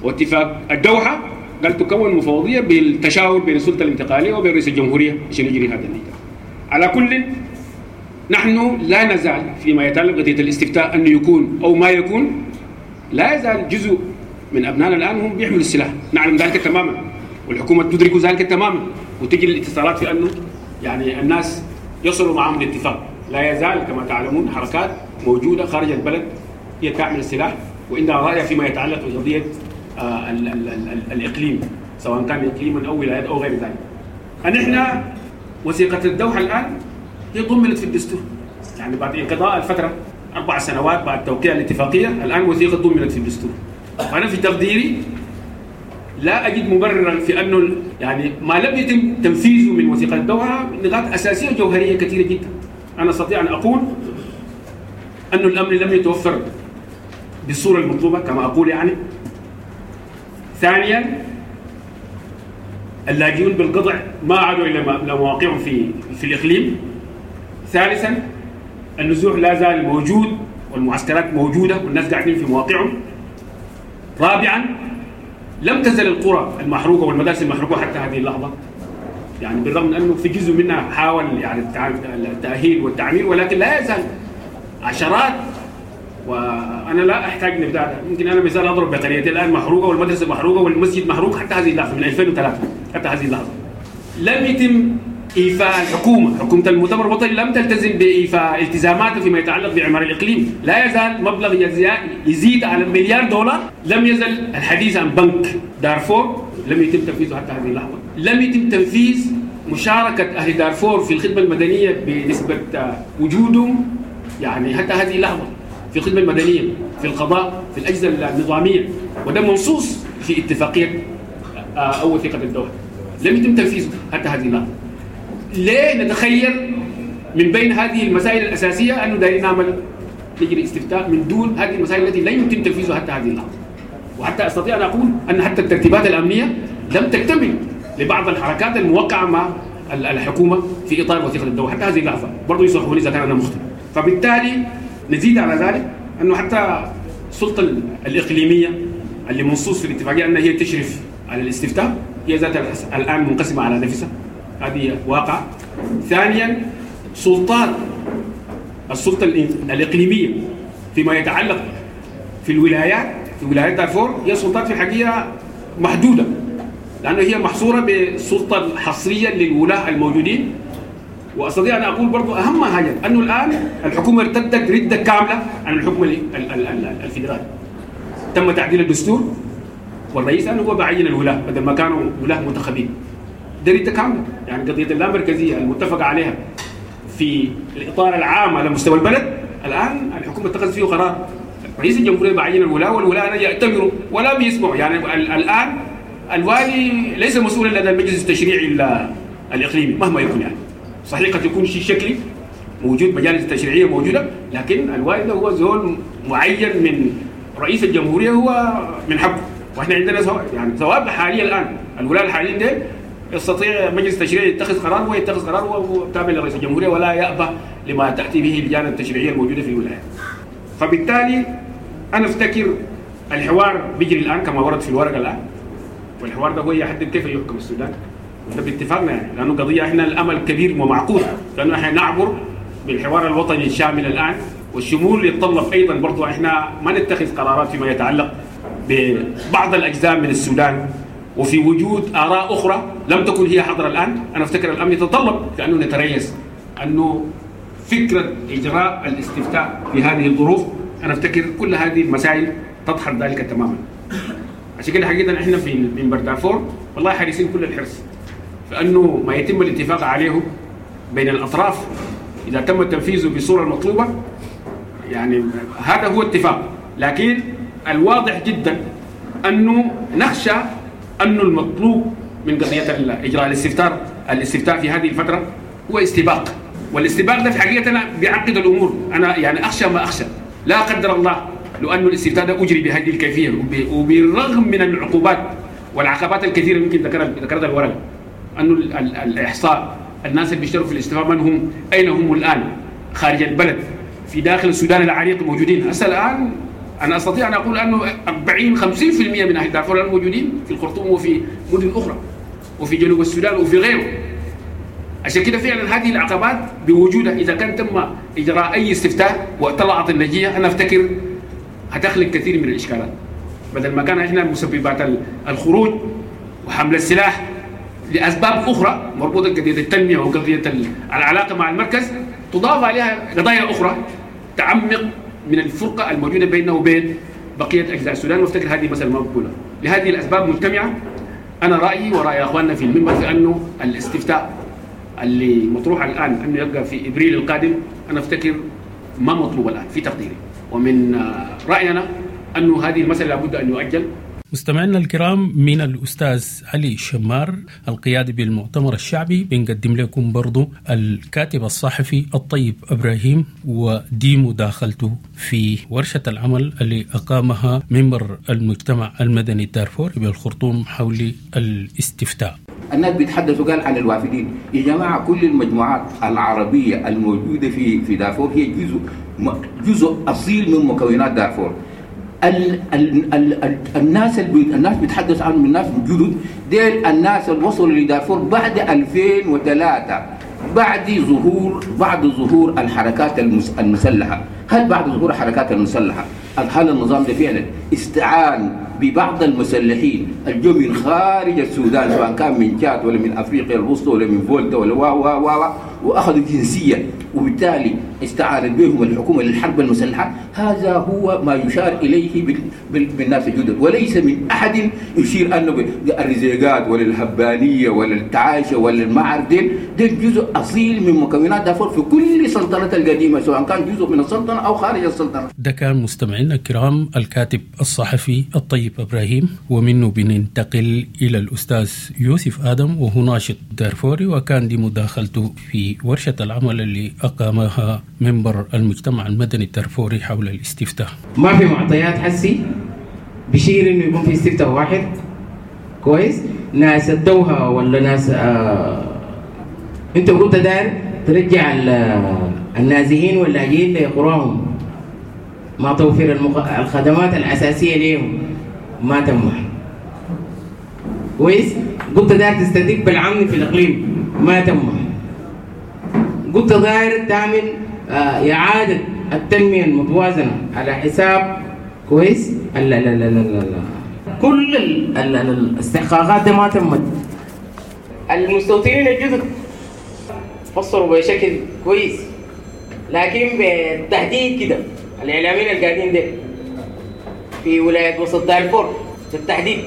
واتفاق الدوحة قال تكون مفوضية بالتشاور بين السلطة الانتقالية وبين رئيس الجمهورية عشان يجري هذا النظام. على كل نحن لا نزال فيما يتعلق بقضية الاستفتاء أنه يكون أو ما يكون، لا يزال جزء من أبنائنا الآن هم بيحملوا السلاح، نعلم ذلك تماما والحكومة تدرك ذلك تماما، وتجري الاتصالات في أنه يعني الناس يصلوا معهم لاتفاق. لا يزال كما تعلمون حركات موجودة خارج البلد هي تعمل السلاح وعندها رأي فيما يتعلق بقضية آه ال ال ال ال الإقليم سواء كان إقليما أو ولايات أو غير ذلك. نحن وثيقة الدوحة الآن هي ضمنت في الدستور، يعني بعد انقضاء الفترة أربع سنوات بعد توقيع الاتفاقية الآن وثيقة ضمنت في الدستور. أنا في تقديري لا أجد مبررا في أنه يعني ما لم يتم تنفيذه من وثيقة الدوحة نقاط أساسية وجوهرية كثيرة جدا. أنا أستطيع أن أقول أن الأمن لم يتوفر بالصورة المطلوبة كما أقول يعني. ثانيا اللاجئون بالقطع ما عادوا إلى مواقعهم في في الإقليم. ثالثا النزوح لا زال موجود والمعسكرات موجودة والناس قاعدين في مواقعهم. رابعا لم تزل القرى المحروقة والمدارس المحروقة حتى هذه اللحظة، يعني بالرغم من أنه في جزء منها حاول يعني التأهيل والتعمير، ولكن لا يزال عشرات. وأنا لا أحتاج نبدأ، يمكن أنا مثال أضرب بقريتي الآن محروقة والمدرسة محروقة والمسجد محروق حتى هذه اللحظة من ألفين وثلاثة حتى هذه اللحظة. لم يتم إيفاء الحكومة، حكومة المؤتمر الوطني لم تلتزم بإيفاء التزاماتها فيما يتعلق بعمار الإقليم. لا يزال مبلغ يزيد على مليار دولار. لم يزل الحديث عن بنك دارفور لم يتم تنفيذه حتى هذه اللحظة. لم يتم تنفيذ مشاركة أهل دارفور في الخدمة المدنية بنسبة وجودهم يعني حتى هذه اللحظة في الخدمة المدنية، في القضاء، في الأجهزة النظامية، وده منصوص في اتفاقية أو وثيقة الدوحة. لم يتم تنفيذه حتى هذه اللحظة. ليه نتخيل من بين هذه المسائل الأساسية أنه دايرين نعمل نجري استفتاء من دون هذه المسائل التي لا يمكن تنفيذها حتى هذه اللحظة؟ وحتى أستطيع أن أقول أن حتى الترتيبات الأمنية لم تكتمل لبعض الحركات الموقعة مع الحكومة في إطار وثيقة الدوحة حتى هذه اللحظة، برضو يصححوني إذا كان أنا مخطئ. فبالتالي نزيد على ذلك أنه حتى السلطة الإقليمية اللي منصوص في الاتفاقية أنها هي تشرف على الاستفتاء هي ذاتها الآن منقسمة على نفسها، هذه واقع. ثانيا سلطات السلطة الإقليمية فيما يتعلق في الولايات في ولاية دارفور هي سلطات في الحقيقة محدودة، لانه هي محصورة بالسلطة الحصريه للولاه الموجودين. واستطيع ان اقول برضو اهم حاجة انه الان الحكومة ارتدت رده كاملة عن الحكم الفيدرالي. تم تعديل الدستور والرئيس انه هو بعين الولاه بدل ما كانوا ولاه منتخبين. ده رده كاملة، يعني قضية اللامركزيه المتفق عليها في الاطار العام على مستوى البلد الان الحكومة اتخذت فيه قرار. رئيس الجمهورية بعين الولاه والولاه يأتمروا ولا بيسمعوا. يعني الان الوالي ليس مسؤولا لدى المجلس التشريعي الاقليمي مهما يكون، يعني صحيح قد يكون شيء شكلي موجود، مجالس التشريعية موجودة، لكن الوالي ده هو زول معين من رئيس الجمهورية، هو من حقه. واحنا عندنا سواء يعني سواء حاليا الان الولاة الحاليين ده يستطيع مجلس التشريعي يتخذ قرار، ويتخذ قرار وهو تابع لرئيس الجمهورية ولا يأبه لما تاتي به اللجان التشريعية الموجودة في الولايات. فبالتالي انا افتكر الحوار بيجري الان كما ورد في الورقة الان، والحوار ده هو يحدد كيف يحكم السودان، وده باتفاقنا يعني، لانه قضية احنا الامل كبير ومعقول، لانه احنا نعبر بالحوار الوطني الشامل الان، والشمول يتطلب ايضا برضو احنا ما نتخذ قرارات فيما يتعلق ببعض الاجزاء من السودان وفي وجود اراء اخرى لم تكن هي حاضره الان. انا افتكر الامر يتطلب لانه نتريث انه فكرة اجراء الاستفتاء في هذه الظروف، انا افتكر كل هذه المسائل تدحض ذلك تماما. عشان كده حقيقة احنا في منبر دارفور والله حريصين كل الحرص فانه ما يتم الاتفاق عليه بين الاطراف اذا تم تنفيذه بالصورة المطلوبة، يعني هذا هو اتفاق. لكن الواضح جدا انه نخشى انه المطلوب من قضية اجراء الاستفتاء الاستفتاء في هذه الفترة هو استباق، والاستباق ده في حقيقة انا بيعقد الامور. انا يعني اخشى ما اخشى لا قدر الله لو انه الاستفتاء ده اجري بهذه الكيفية وبالرغم من العقوبات والعقبات الكثيرة يمكن ذكرها ذكرتها الورقة، انه الاحصاء، الناس اللي بيشتروا في الاستفتاء من هم، اين هم الان، خارج البلد، في داخل السودان العريق موجودين. هسه الان انا استطيع ان اقول انه أربعين خمسين بالمئة من اهل دارفور الان موجودين في الخرطوم وفي مدن اخرى وفي جنوب السودان وفي غيره. عشان كده فعلا هذه العقبات بوجودها اذا كان تم اجراء اي استفتاء وطلعت النتيجة انا افتكر هتخلق كثير من الاشكالات. بدل ما كان احنا مسببات الخروج وحمل السلاح لاسباب اخرى مربوطة بقضيه التنمية وقضية العلاقة مع المركز، تضاف عليها قضايا اخرى تعمق من الفرقة الموجودة بيننا وبين بقية اجزاء السودان، وافتكر هذه مسالة مقبولة. لهذه الاسباب مجتمعه انا رايي وراي اخواننا في المنبر في انه الاستفتاء اللي مطروح الان انه يبقى في ابريل القادم انا افتكر ما مطلوب الان في تقديري، ومن راينا انه هذه المسالة لابد ان يؤجل. مستمعينا الكرام، من الأستاذ علي شمار القيادي بالمؤتمر الشعبي بنقدم لكم برضو الكاتب الصحفي الطيب إبراهيم ودي مداخلته في ورشة العمل اللي أقامها منبر المجتمع المدني الدارفوري بالخرطوم حول الاستفتاء. الناس بيتحدثوا قال عن الوافدين. يا جماعة كل المجموعات العربية الموجودة في في دارفور هي جزء جزء أصيل من مكونات دارفور. ال ال ال ال الناس اللي الناس بيتحدث عنهم الناس الجدد ديل، الناس اللي وصلوا لدارفور بعد ألفين وثلاثة، بعد ظهور بعد ظهور الحركات المسلحة. هل بعد ظهور الحركات المسلحة هل النظام ده فعلا استعان ببعض المسلحين الجو من خارج السودان، سواء كان من تشاد ولا من افريقيا الوسطى ولا من فولتا ولا وا وا وا واخذوا جنسية، وبالتالي استعانت بهم الحكومة للحرب المسلحة؟ هذا هو ما يشار اليه بالناس الجدد، وليس من احد يشير انه الرزيقات ولا الهبانيه ولا التعايشه ولا المعارف ديل ديل جزء اصيل من مكونات دارفور في كل سلطنة القديمة، سواء كان جزء من السلطنة او خارج السلطنة. ده كان مستمعينا الكرام الكاتب الصحفي الطيب ابراهيم، ومنه بننتقل الى الاستاذ يوسف ادم وهو ناشط دارفوري، وكان دي مداخلته في ورشه العمل اللي أقامها منبر المجتمع المدني الدارفوري حول الاستفتاء. ما في معطيات حسي بشير انه يكون في استفتاء واحد كويس. ناس الدوحة ولا ناس آه... انت قلت داير ترجع النازحين واللاجئين لقراهم مع توفير المق... الخدمات الأساسية لهم ما تم كويس. قلت داير تستدق بالعمل في الإقليم ما تم. قلت داير تعمل آه إعادة التنمية المتوازنة على حساب كويس ال ال ال ال ال كل ال ال ال الاستحقاقات دي ما تمت. المستوطنين الجدد فسروا بشكل كويس، لكن بالتهديد كده الاعلاميين القاعدين ده في ولاية وسط دارفور بالتحديد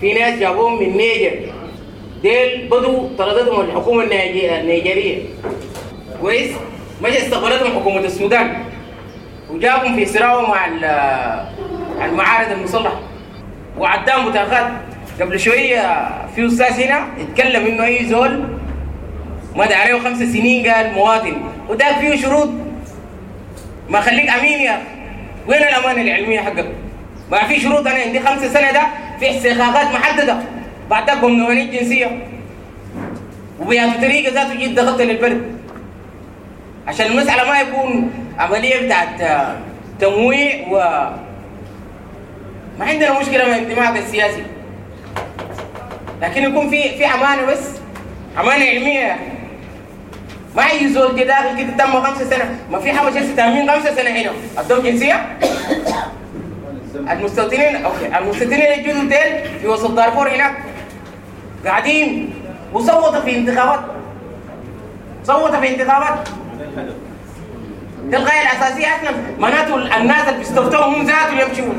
في ناس جابوهم من نيجر، ديل بدوا طردتهم الحكومة النيجريه كويس، مشى استقبلتهم حكومة السودان وجابهم في صراعهم مع المعارض المسلحة وعداهم بطاقات. قبل شوية في استاذ هنا اتكلم انه اي زول مدى عليه خمس سنين قال مواطن، وده فيه شروط، ما خليك امين يا اخي، وين الامانة العلمية حقك؟ ما في شروط. انا عندي خمس سنة ده في استحقاقات محددة، بعد ذاك بمنوني الجنسية وبهذه الطريقة ذاته جيت دخلت للبلد عشان المسالة ما يكون عملية بتاعت تمويع. و ما عندنا مشكلة مع انتمائك السياسي، لكن يكون في في امانه، بس امانه علمية. ما اي زول كده داخل كده تم خمسة سنة، ما في حاجة تامين خمسة سنة هنا ادوهم جنسية. المستوطنين okay، المستوطنين الجدد ديل في وسط دارفور هناك قاعدين وصوتوا في انتخابات، صوتوا في انتخابات. ده الغاية الاساسية اصلا، معناته الناس اللي بيستوطنوا هم ذاتهم يمشوا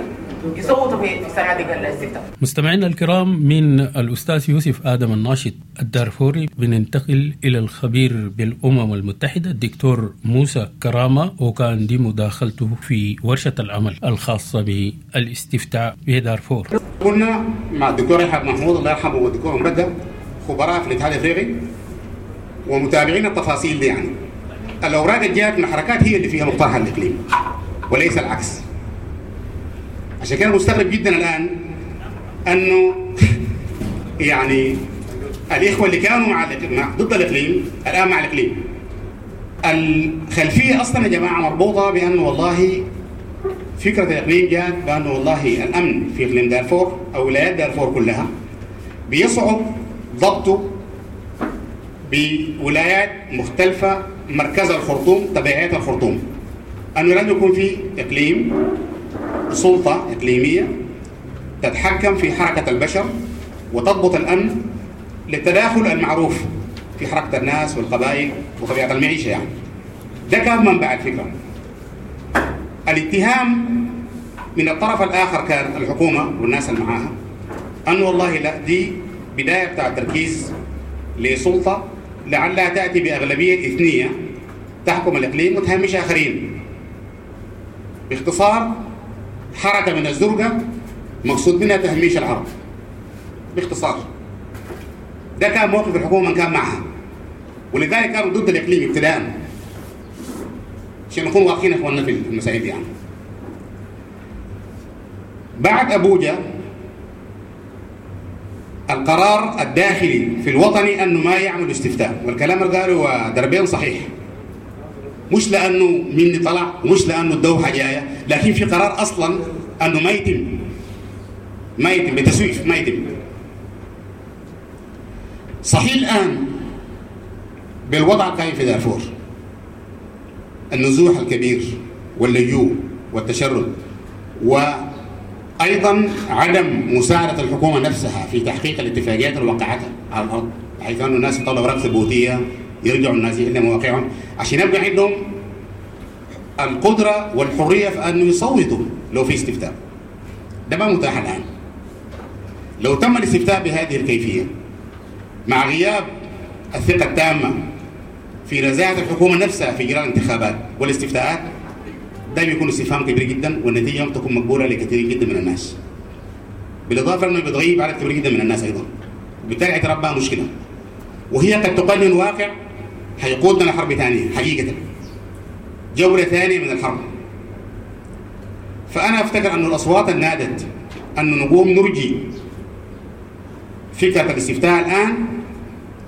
يصوتوا في صناديق الاستفتاء. مستمعينا الكرام، من الأستاذ يوسف آدم الناشط الدارفوري بننتقل إلى الخبير بالأمم المتحدة الدكتور موسى كرامة، وكان دي مداخلته في ورشة العمل الخاصة بالاستفتاء بدارفور. كنا مع الدكتور يحيى محمود الله يرحمه والدكتور مبدع خبراء في الاتحاد الافريقي ومتابعين التفاصيل دي. يعني الأوراق اللي جاءت من الحركات هي اللي فيها مقترح الإقليم وليس العكس. عشان كده مستغرب جدا الآن أنه يعني الإخوة اللي كانوا مع ضد الإقليم الآن مع الإقليم. الخلفية أصلا يا جماعة مربوطة بأنه والله فكرة الإقليم جاءت بأنه والله الأمن في إقليم دارفور أو ولايات دارفور كلها بيصعب ضبطه بولايات مختلفة مركز الخرطوم تبعيات الخرطوم، أنه لازم يكون في إقليم سلطة إقليمية تتحكم في حركة البشر وتضبط الأمن للتداخل المعروف في حركة الناس والقبائل وطبيعة المعيشة. يعني ده كان منبع الفكرة. الاتهام من الطرف الآخر كان الحكومة والناس اللي معاها أنه والله لا، دي بداية بتاع تركيز لسلطة لعلها تأتي بأغلبية إثنية تحكم الإقليم وتهمش آخرين. باختصار حركة من الزرقة مقصود منها تهميش العرب باختصار. ده كان موقف الحكومة من كان معها، ولذلك كانوا ضد الإقليم ابتداء، عشان نكون واضحين اخواننا في المسائل دي. يعني بعد أبوجا القرار الداخلي في الوطني أنه ما يعمل استفتاء، والكلام اللي قاله دربين صحيح، مش لأنه مني طلع ومش لأنه الدوحة جاية، لكن في قرار أصلا أنه ما يتم، ما يتم بتسويف، ما يتم. صحيح الآن بالوضع القائم في دارفور، النزوح الكبير واللجوء والتشرد، وأيضا عدم مساعدة الحكومة نفسها في تحقيق الاتفاقيات اللي وقعتها على الأرض، بحيث أن الناس يطلعوا أوراق ثبوتية يرجعوا الناس إلى مواقعهم عشان يبقى عندهم القدرة والحرية في أنه يصوتوا لو في استفتاء. ده ما متاح الآن. لو تم الاستفتاء بهذه الكيفية مع غياب الثقة التامة في نزاهة الحكومة نفسها في إجراء الانتخابات والاستفتاءات، ده بيكون استفهام كبير جدا، والنتيجة لم تكون مقبولة لكثير جدا من الناس. بالإضافة أنه بتغيب عدد كبير جدا من الناس أيضا، وبالتالي اعتراف بها مشكلة، وهي قد تقنن واقع هيقودنا لحرب ثانية حقيقة، جولة ثانية من الحرب. فأنا أفتكر أن الأصوات النادت أن نقوم نرجي فكرة الاستفتاء الآن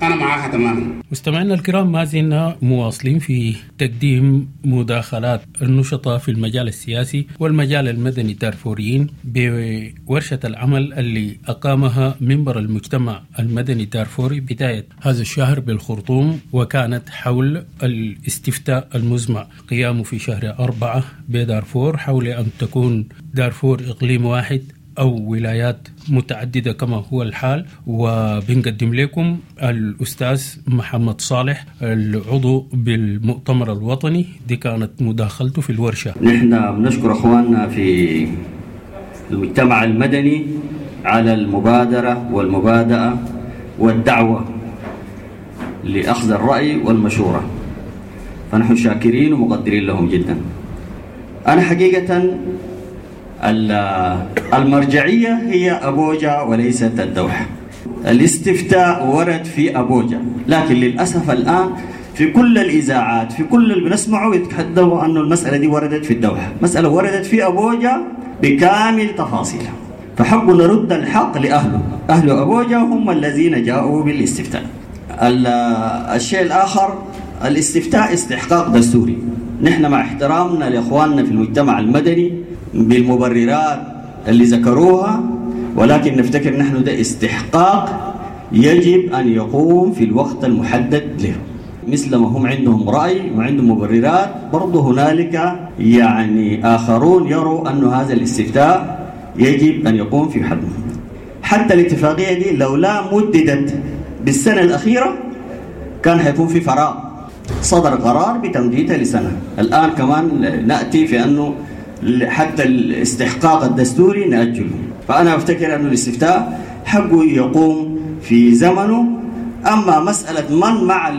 أنا معاها تماما. مستمعينا الكرام، ما زلنا مواصلين في تقديم مداخلات النشطاء في المجال السياسي والمجال المدني الدارفوريين بورشة العمل اللي أقامها منبر المجتمع المدني الدارفوري بداية هذا الشهر بالخرطوم، وكانت حول الاستفتاء المزمع قيامه في شهر أربعة بدارفور حول أن تكون دارفور إقليم واحد أو ولايات متعددة كما هو الحال. وبنقدم لكم الأستاذ محمد صالح العضو بالمؤتمر الوطني، دي كانت مداخلته في الورشة. نحن بنشكر أخواننا في المجتمع المدني على المبادرة والمبادئة والدعوة لأخذ الرأي والمشورة، فنحن شاكرين ومقدرين لهم جدا. أنا حقيقة المرجعية هي أبوجا وليست الدوحة. الاستفتاء ورد في أبوجا، لكن للأسف الآن في كل الإذاعات في كل اللي بنسمعه يتحدثوا أن المسألة دي وردت في الدوحة. مسألة وردت في أبوجا بكامل تفاصيلها، فحق نرد الحق لأهله. أهل أبوجا هم الذين جاءوا بالاستفتاء. الشيء الآخر، الاستفتاء استحقاق دستوري. نحن مع احترامنا لإخواننا في المجتمع المدني بالمبررات اللي ذكروها، ولكن نفتكر نحن ده استحقاق يجب أن يقوم في الوقت المحدد له. مثل ما هم عندهم رأي وعندهم مبررات، برضه هنالك يعني آخرون يروا أن هذا الاستفتاء يجب أن يقوم في حده. حتى الاتفاقية دي لو لا مددت بالسنة الأخيرة كان حيكون في فراغ. صدر قرار بتمديدها لسنة. الآن كمان نأتي في أنه حتى الاستحقاق الدستوري نأجله. فأنا أفتكر أن الاستفتاء حقه يقوم في زمنه. أما مسألة من مع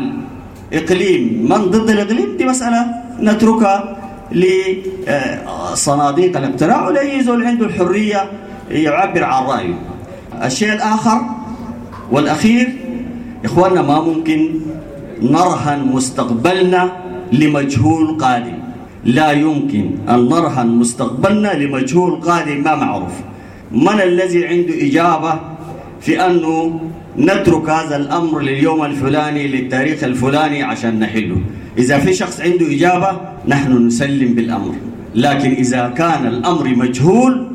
الإقليم من ضد الإقليم دي مسألة نتركها لصناديق الاقتراع، ولأي زول عنده الحرية يعبر عن رأيه. الشيء الآخر والأخير، إخواننا ما ممكن نرهن مستقبلنا لمجهول قادم. لا يمكن أن نرهن مستقبلنا لمجهول قادم ما معروف. من الذي عنده إجابة في أنه نترك هذا الأمر لليوم الفلاني للتاريخ الفلاني عشان نحله؟ إذا في شخص عنده إجابة نحن نسلم بالأمر، لكن إذا كان الأمر مجهول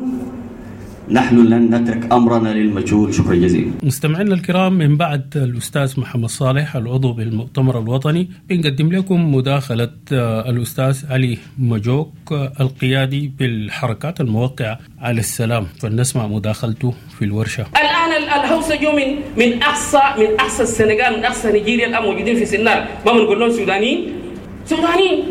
نحن لن نترك أمرنا للمجهول. شكرا جزيلا. مستمعينا الكرام، من بعد الأستاذ محمد صالح العضو بالمؤتمر الوطني بنقدم لكم مداخلة الأستاذ علي مجوك القيادي بالحركات الموقعة على السلام، فلنسمع مداخلته في الورشة. الآن الهوسة جو من من أقصى من أقصى السنغال، من أقصى نيجيريا، الآن موجودين في سنار. ما بنقول لهم سودانيين، سودانيين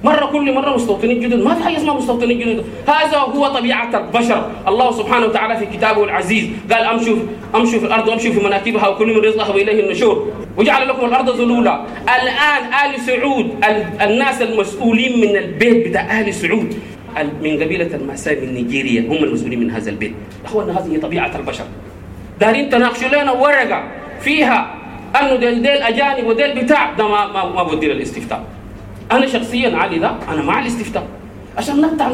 مرة كل مرة مستوطنين جدد، ما في حاجة اسمها مستوطنين جدد. هذا هو طبيعة البشر. الله سبحانه وتعالى في كتابه العزيز قال أمشوا أمشوا في الأرض وأمشوا في مناكبها وكل من رزقها وإليه النشور وجعل لكم الأرض ذلولا. الآن آل سعود، الناس المسؤولين من البيت بتاع آل سعود من قبيلة الماساي من نيجيريا هم المسؤولين من هذا البيت. أخوانا هذه طبيعة البشر. دارين تناقشوا لنا ورقة فيها أنه ديل ديل أجانب وديل بتاع ده ما ما, ما بدير الاستفتاء. أنا شخصياً علي ده أنا مع الاستفتاء عشان نقطع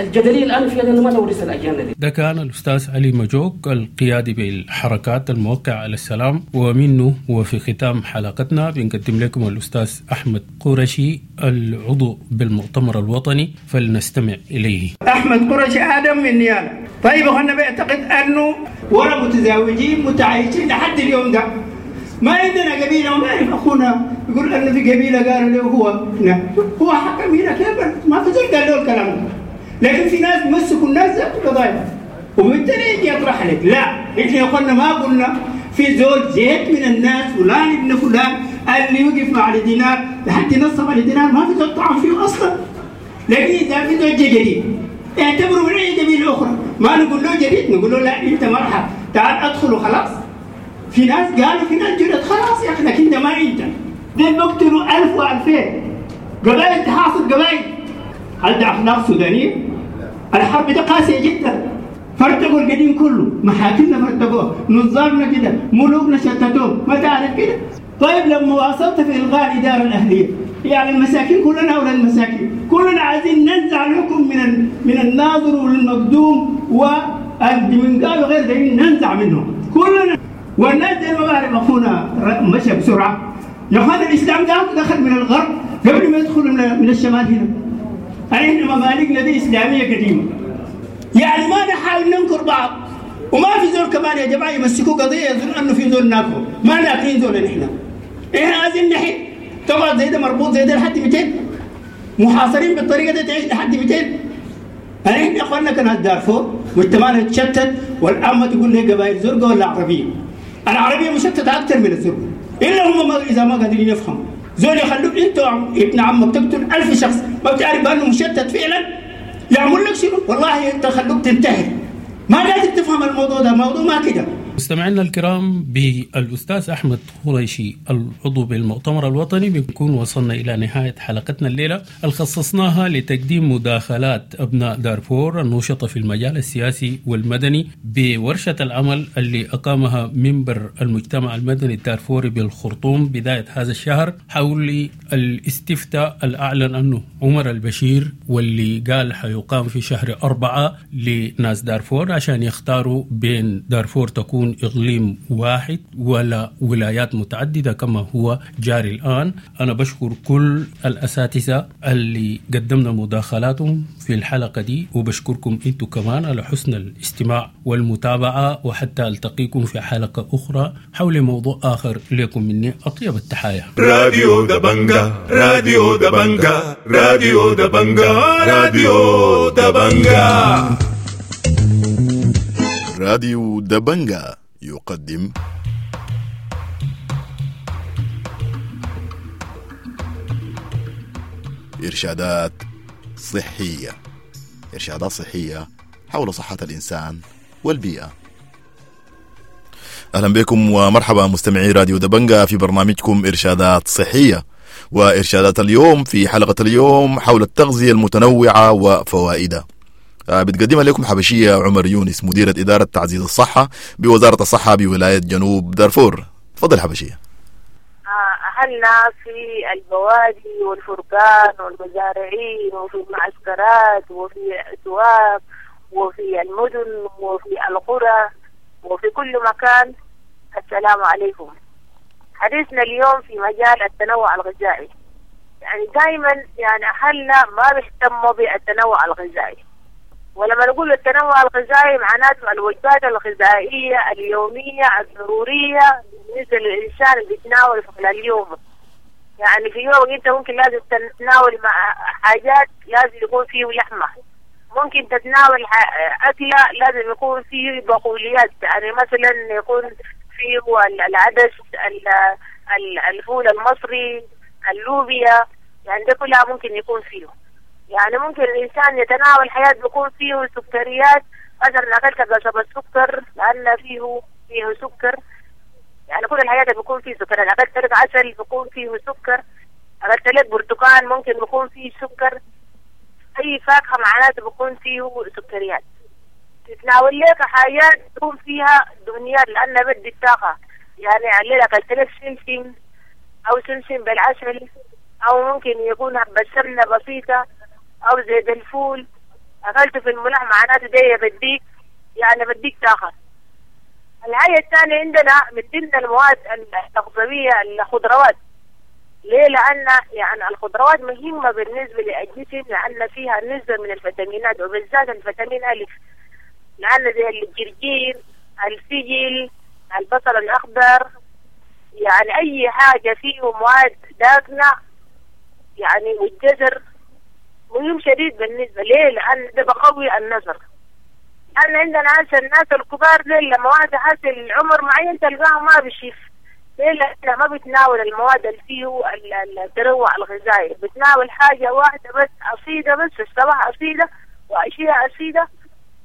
الجدلية الآن فيها، لأنه ما نورث الأجيال دي. ده كان الأستاذ علي مجوك القيادي بالحركات الموقعة على السلام، ومنه وفي ختام حلقتنا بنقدم لكم الأستاذ أحمد قرشي العضو بالمؤتمر الوطني، فلنستمع إليه. أحمد قرشي آدم من نيالا. طيب أنا بعتقد أنه ورا متزاوجين متعايشين لحد اليوم ده، ما عندنا قبيلة وما أعرف أخونا يقول أنه في قبيلة قالوا له هو هنا هو حكم هنا كيف، ما في زول قال له الكلام ده، لكن في ناس مسكوا الناس ذات القضايا وبالتالي يجي يطرح لك لا إحنا قلنا ما قلنا في زول زيت من الناس فلان ابن فلان اللي يوقف مع الدينار لحد نصب على الدينار ما في زول طعن فيه أصلا. لكن إذا في زول جديد اعتبره من أي قبيلة أخرى، ما نقول له جديد، نقول له لا أنت مرحب تعال أدخل وخلاص. في ناس قالوا في ناس جدد خلاص يا أخي، لكن ده ما أنت دول بقتلوا ألف وألفين قبائل تحاصر قبائل. هل ده أخلاق سودانية؟ الحرب ده قاسية جدا، فرتقوا القديم كله، محاكمنا فرتقوه، نظامنا كده، ملوكنا شتتوه، ما تعرف كده. طيب لما واصلت في إلغاء الإدارة الأهلية، يعني المساكين كلنا أولاد المساكين، كلنا عايزين ننزع الحكم من من الناظر والمقدوم والدمنقال وغير ذلك، ننزع منهم كلنا. والناس دي ما بعرف اخونا مشى بسرعة. يا اخوان الاسلام ده دخل من الغرب قبل ما يدخل من الشمال هنا. احنا ممالكنا دي اسلامية قديمة. يعني ما نحاول ننكر بعض، وما في زول كمان يا جماعة يمسكوا قضية يظن انه في زول ناكره، ما ناكرين زول نحن. احنا عايزين نحل، تقعد زي ده مربوط زي ده لحد مئتين؟ محاصرين بالطريقة دي تعيش لحد مئتين؟ احنا يا اخواننا كان دارفور مجتمعنا يتشتت، والان ما تقول لي قبائل زرقاء ولا عربية. العربية مشتتة اكثر من الزرقاء، الا هم ما اذا ما قادرين يفهموا. زول يخلوك انت ابن عمك تقتل ألف شخص ما بتعرف بانه مشتت فعلا، يعمل لك شنو؟ والله انت خلوك تنتحر. ما قادر تفهم الموضوع ده، موضوع ما كده. مستمعينا الكرام، بالأستاذ أحمد قريشي العضو بالمؤتمر الوطني بنكون وصلنا إلى نهاية حلقتنا الليلة اللي خصصناها لتقديم مداخلات أبناء دارفور النشطة في المجال السياسي والمدني بورشة العمل اللي أقامها منبر المجتمع المدني الدارفوري بالخرطوم بداية هذا الشهر حول الاستفتاء الأعلن أنه عمر البشير واللي قال حيقام في شهر أربعة لناس دارفور عشان يختاروا بين دارفور تكون إقليم واحد ولا ولايات متعددة كما هو جاري الآن. أنا بشكر كل الأساتذة اللي قدمنا مداخلاتهم في الحلقة دي، وبشكركم أنتم كمان على حسن الاستماع والمتابعة، وحتى ألتقيكم في حلقة أخرى حول موضوع آخر. لكم مني أطيب التحايا. راديو دبنجا، راديو دبنجا، راديو دبنجا، راديو دبنجا. راديو دبنجا يقدم إرشادات صحية، إرشادات صحية حول صحة الإنسان والبيئة. أهلا بكم ومرحبا مستمعي راديو دبنجا في برنامجكم إرشادات صحية، وإرشادات اليوم في حلقة اليوم حول التغذية المتنوعة وفوائدها. بتقدمها لكم حبشية عمر يونس، مديرة إدارة تعزيز الصحة بوزارة الصحة بولاية جنوب دارفور. تفضل حبشية. أهلنا في البوادي والفرقان والمزارعين وفي المعسكرات وفي الأسواق وفي المدن وفي القرى وفي كل مكان، السلام عليكم. حديثنا اليوم في مجال التنوع الغذائي. يعني دائما يعني أهلنا ما بيهتموا بالتنوع الغذائي، ولما نقول التنوع الغذائي معناته الوجبات الغذائية اليومية الضرورية بالنسبة للإنسان اللي بيتناول في خلال يومه. يعني في يوم أنت ممكن لازم تتناول مع حاجات لازم يكون فيه لحمة، ممكن تتناول أكلة لازم يكون فيه بقوليات، يعني مثلا يكون فيه العدس، الفول المصري، اللوبيا، يعني ده كلها ممكن يكون فيه. يعني ممكن الإنسان يتناول حياة بيكون فيه سكريات، مثلا أكلت قصب السكر لأن فيه فيه سكر، يعني كل الحياة بيكون فيه سكر. أكلت لك عسل بيكون فيه سكر، أكلت لك برتقال ممكن بيكون فيه سكر، أي فاكهة معناته بيكون فيه سكريات. تتناول لك حاجات بيكون فيها دهنيات لأن بدي الطاقة، يعني الليلة أكلت لك سمسم أو سمسم بالعسل، أو ممكن يكون حبة سمنة بسيطة أو زيت الفول، أكلته في الملح معناته ده بديك يعني بديك طاقة. الحاجة الثانية عندنا من ضمن المواد التغذوية الخضروات. ليه؟ لأن يعني الخضروات مهمة بالنسبة للجسم لأن فيها نسبة من الفيتامينات، وبالذات الفيتامين ألف، لأن زي الجرجير، الفجل، البصل الأخضر، يعني أي حاجة فيه مواد داكنة يعني، والجزر مهم شديد بالنسبة ليه؟ لأن ده بقوي النظر. لأن عندنا هسه الناس الكبار دي لما واحد حاسس العمر معين تلقاه ما بيشوف. ليه؟ لأنه ما بيتناول المواد اللي فيه التنوع الغذائي، بتناول حاجة واحدة بس، عصيدة بس، الصباح عصيدة وعشية عصيدة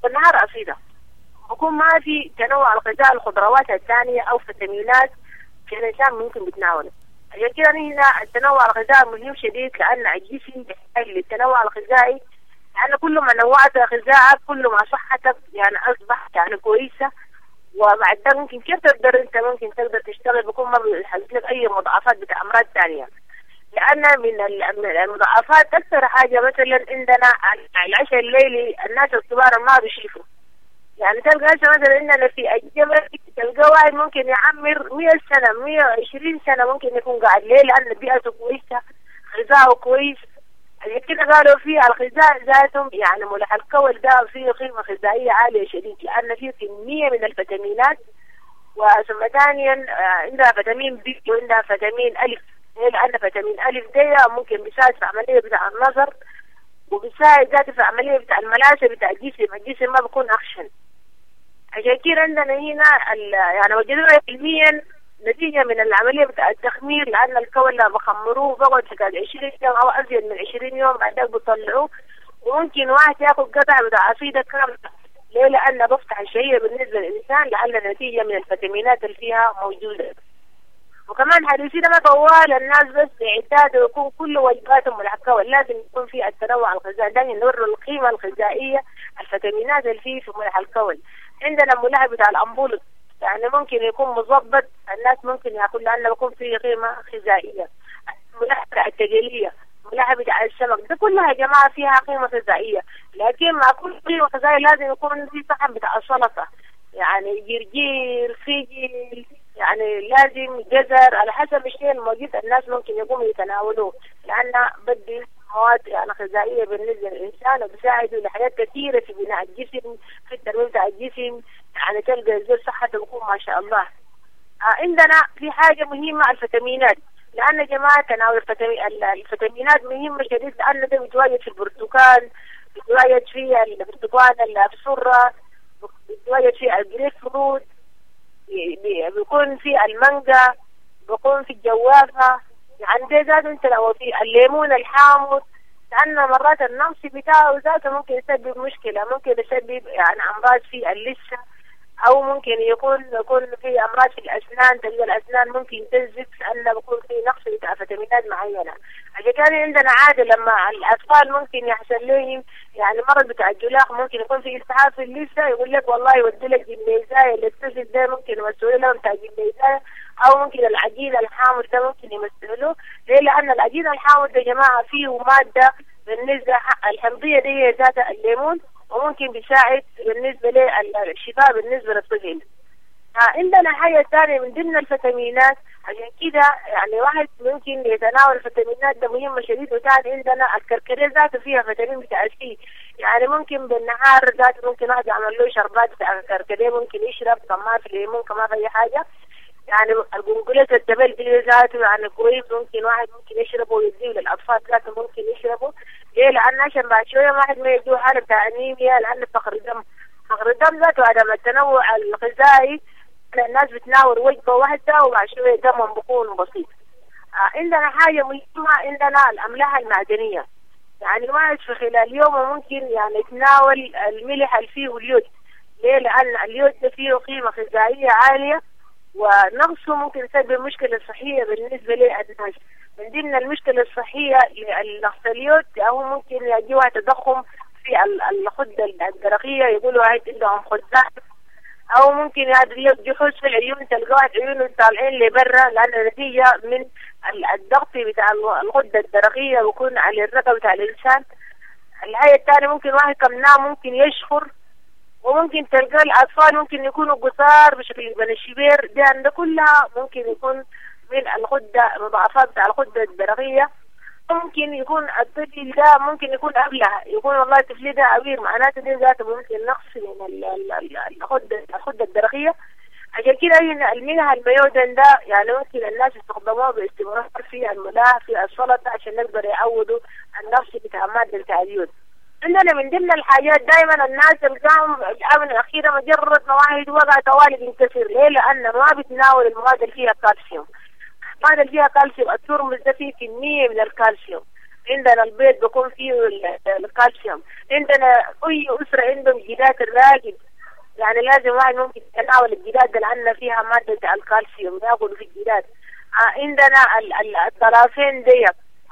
والنهار عصيدة. بكون ما في تنوع الغذاء، الخضروات الثانية أو فيتامينات في الإنسان ممكن بيتناوله. عشان كده هنا التنوع الغذائي مهم شديد، لأن الجسم بيحتاج للتنوع الغذائي، لأن كل ما نوعت غذائك كل ما صحتك يعني أصبحت يعني كويسة، وبعد ده ممكن كيف تقدر أنت ممكن تقدر تشتغل، بيكون ما بيحصل لك أي مضاعفات بتاع أمراض ثانية. لأن من المضاعفات أكثر حاجة مثلا عندنا العشاء الليلي، الناس الكبار ما بيشوفوا، يعني تلقى هسه مثلا عندنا في الجبل تلقى واحد ممكن يعمر مية سنة مية وعشرين سنة ممكن يكون قاعد. ليه؟ لأن بيئته كويسة، غذاؤه كويس. عشان كده قالوا فيه الغذاء ذاتهم يعني ملح الكول ده فيه قيمة غذائية عالية شديد، لأن فيه كمية من الفيتامينات، وثم ثانيا عندها فيتامين بي وعندها فيتامين ألف. ليه؟ لأن فيتامين ألف ده ممكن بيساعد في عملية بتاع النظر، وبيساعد ذاته في عملية بتاع الملاسة بتاع الجسم، الجسم ما بيكون أخشن. عشان كده عندنا هنا يعني وجدوها علميا نتيجة من العملية بتاع التخمير، لأن الكول بخمروه بقعد حكاية عشرين يوم أو أزيد من عشرين يوم بعدين بيطلعوه، وممكن واحد ياكل قطعة بتاع عصيدة كاملة. ليه؟ لأن بفتح الشهية بالنسبة للإنسان، لأن نتيجة من الفيتامينات اللي فيها موجودة. وكمان حديثي ده ما طوال الناس بس يعتادوا يكون كل وجباتهم ملح كول، لازم يكون في التنوع الغذائي، دايما نوروا القيمة الغذائية الفيتامينات اللي فيه في ملح الكول. عندنا ملح بتاع الأمبولط يعني ممكن يكون مظبط، الناس ممكن ياكل لأنه بيكون فيه قيمة غذائية. ملح بتاع التقلية، ملح بتاع السمك، ده كلها يا جماعة فيها قيمة غذائية. لكن مع كل قيمة غذائية لازم يكون في صحن بتاع السلطة، يعني جرجير، فجل، يعني لازم جزر، على حسب الشيء الموجود الناس ممكن يقوموا يتناولوه، لأن بدي مواد يعني غذائية بالنسبة للإنسان، وبيساعده لحاجات كثيرة في بناء الجسم، في الترميم بتاع الجسم، يعني تلقى الزول صحته بيكون ما شاء الله. آه عندنا في حاجة مهمة الفيتامينات، لأن يا جماعة تناول الفيتامينات مهمة شديد، لأن ده بيتواجد في البرتقال، بيتواجد في البرتقال السرة، بيتواجد في الجريب فروت، بيكون في المانجا، بيكون في الجوافة، يعني ده ذاته انت لو في الليمون الحامض، لأن مرات النقص بتاعه ذاته ممكن يسبب مشكلة، ممكن يسبب يعني أمراض في اللثة، أو ممكن يكون يكون في أمراض في الأسنان، تلقى الأسنان ممكن تنزف لأن بيكون في نقص بتاع فيتامينات معينة. عشان كان عندنا عادة لما الأطفال ممكن يحصل لهم يعني مرض بتاع الجلاخ، ممكن يكون في التهاب في اللثة، يقول لك والله يودي لك جميزاية للطفل ده، ممكن يمسوا لهم بتاع جميزاية، أو ممكن العجين الحامض ده ممكن يمسوا له. ليه؟ لأن العجين الحامض ده يا جماعة فيه مادة بالنسبة الحمضية دي هي ذات الليمون، وممكن بيساعد بالنسبة للشفاء بالنسبة للطفل. عندنا حاجة ثانية من ضمن الفيتامينات، عشان كده يعني واحد ممكن يتناول الفيتامينات ده مهمة شديد. وثاني عندنا الكركديه ذاته فيها فيتامين بتاع سي، يعني ممكن بالنهار ذاته ممكن واحد يعمل له شربات بتاع الكركديه، ممكن يشرب كمان في ليمون كمان في أي حاجة. يعني القنقلة التبل دي ذاته يعني كويس، ممكن واحد ممكن يشربه ويديه للأطفال ذاته ممكن يشربه. ليه؟ لأن عشان بعد شوية واحد ما يجيه حالة بتاع أنيميا، لأن فقر الدم، فقر الدم ذاته عدم التنوع الغذائي، الناس بتناول وجبة واحدة وبعد شوية دمهم بيكون بسيط. آه عندنا حاجة مهمة، عندنا الأملاح المعدنية، يعني واحد في خلال يومه ممكن يعني يتناول الملح اللي فيه اليود. ليه؟ لأن اليود ده فيه قيمة غذائية عالية، ونقصه ممكن يسبب مشكلة صحية بالنسبة للناس. من ضمن المشكلة الصحية لنقص اليود أو ممكن يجيها تضخم في الغدة الدرقية، يقولوا عندهم خدات، أو ممكن يجي في العيون، تلقاها عيونه طالعين لبرا، لأن نتيجة من الضغط بتاع الغدة الدرقية بيكون على الرقبة بتاع الإنسان. الحاجة الثانية ممكن واحد كم نام ممكن يشخر، وممكن تلقى الأطفال ممكن يكونوا قصار بشكل بن الشبير، دي عند كلها ممكن يكون من الغدة، مضاعفات بتاع الغدة الدرقية. ممكن يكون الطفل ده ممكن يكون قبلها يكون والله الطفل ده عبير، معناته دي ذاته ممكن نقص من الغدة الغدة الدرقية. عشان كده الملح الميودن ده يعني ممكن الناس يستخدموه باستمرار في الملاح في السلطة عشان نقدر يعوضوا النقص بتاع مادة اليود. عندنا من ضمن الحاجات دائما الناس تلقاهم الآونة الأخيرة مجرد ما واحد وقع طوالي بينكسر. ليه؟ لأن ما بتناول المواد اللي فيها كالسيوم. المواد اللي فيها كالسيوم الترمز ده فيه كمية من الكالسيوم. عندنا البيض بيكون فيه الكالسيوم. عندنا أي أسرة عندهم جدات الراجل، يعني لازم واحد ممكن يتناول الجداد ده لأن فيها مادة الكالسيوم، ياكلوا في الجداد. عندنا الطرافين دي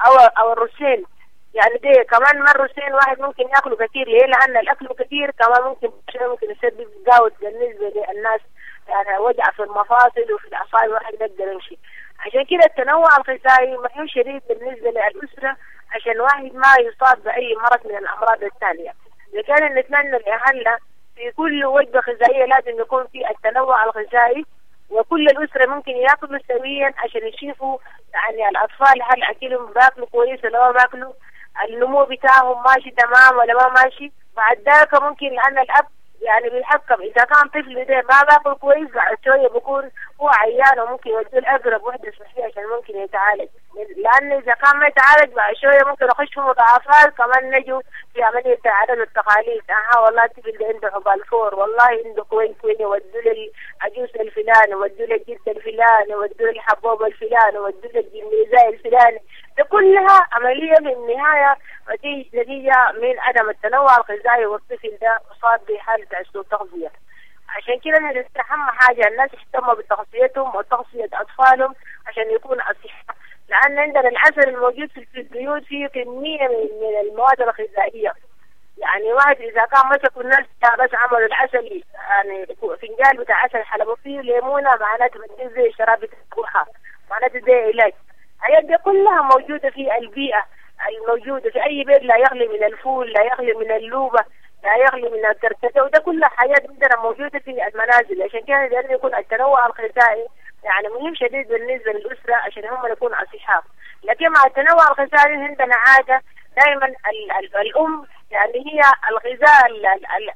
أو أو الرسين، يعني دي كمان ما الرسين واحد ممكن ياكله كثير. ليه؟ لأن الأكل كثير كمان ممكن ممكن يسبب gout بالنسبة للناس، يعني وجع في المفاصل وفي الأعصاب، واحد ما يقدر يمشي. عشان كده التنوع الغذائي مهم شديد بالنسبة للأسرة عشان واحد ما يصاب بأي مرض من الأمراض الثانية. إذا كان نتمنى لأهلنا في كل وجبة غذائية لازم يكون في التنوع الغذائي، وكل الأسرة ممكن ياكلوا سويا عشان يشوفوا يعني الأطفال هل أكلهم باكلوا كويس ولا ما باكلوا، النمو بتاعهم ماشي تمام ولا ما ماشي. بعد ذاك ممكن لأن الأب يعني بيتحكم، إذا كان طفل ده ما باكل كويس بعد شوية بيكون هو عيان وممكن يوديه لأقرب وحدة صحية عشان ممكن يتعالج، لأن إذا كان ما يتعالج بعد شوية ممكن يخش في مضاعفات. كمان نجوا في عملية عدم التقاليد، أها والله الطفل ده عنده حبال فور، والله عنده كوين كوين، يودوا للعجوز الفلاني، ودوا للجد الفلاني، ودوا للحبوب الفلاني، ودوا للجميزاي الفلاني. ده كلها عملية في النهاية نتيجة من عدم التنوع الغذائي، والطفل ده أصاب بحالة سوء تغذية. عشان كده أهم حاجة الناس يهتموا بتغذيتهم وتغذية أطفالهم عشان يكون أصحاء، لأن عندنا العسل الموجود في البيوت فيه كمية من المواد الغذائية. يعني واحد إذا كان مسكوا الناس بس عملوا العسل يعني فنجان بتاع عسل حلبوا فيه ليمونة، معناته بتدي زي شراب بتاع، معناته زي علاج. الحاجات دي كلها موجودة في البيئة الموجودة في أي بيت، لا يغلي من الفول، لا يغلي من اللوبة، لا يغلي من الكركديه، وده كل حاجات عندنا موجودة في المنازل. عشان كده لازم يكون التنوع الغذائي يعني مهم شديد بالنسبة للأسرة عشان هم يكونوا أصحاء. لكن مع التنوع الغذائي عندنا عادة دائما ال ال الأم يعني هي الغذاء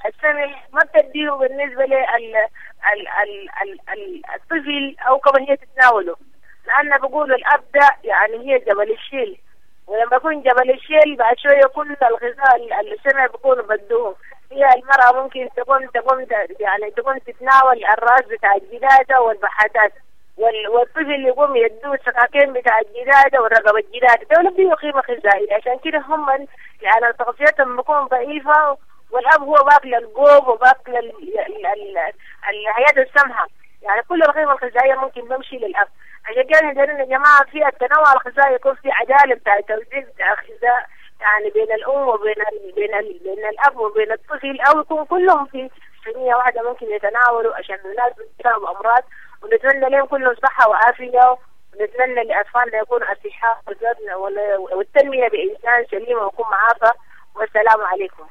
السمح ما بتديه بالنسبة للطفل أو كمان هي تتناوله، لأن بقولوا الأب ده يعني هي جبل الشيل، ولما يكون جبل الشيل بعد شوية كل الغذاء السمع بيكونوا بدوه. هي المرأة ممكن تقوم تقوم يعني تقوم تتناول الراس بتاع الجدادة والبحاتات، والطفل يقوم يدوه السكاكين بتاع الجدادة والرقبة الجدادة، دول فيه قيمة غذائية. عشان كده هم يعني تغذيتهم بتكون ضعيفة، والأب هو باكل القوب وباكل الحياة السمحة، يعني كل القيمة الغذائية ممكن بمشي للأب. عشان كده يا جماعة في التنوع الغذائي يكون في عدالة بتاع توزيع بتاع الغذاء يعني بين الأم وبين ال بين ال بين الأب وبين الطفل، أو يكون كلهم في صينية واحدة ممكن يتناولوا عشان الناس بتصاب أمراض. ونتمنى لهم كلهم صحة وعافية، ونتمنى لأطفالنا يكونوا أصحاء والتنمية بإنسان سليم ويكون معافى. والسلام عليكم.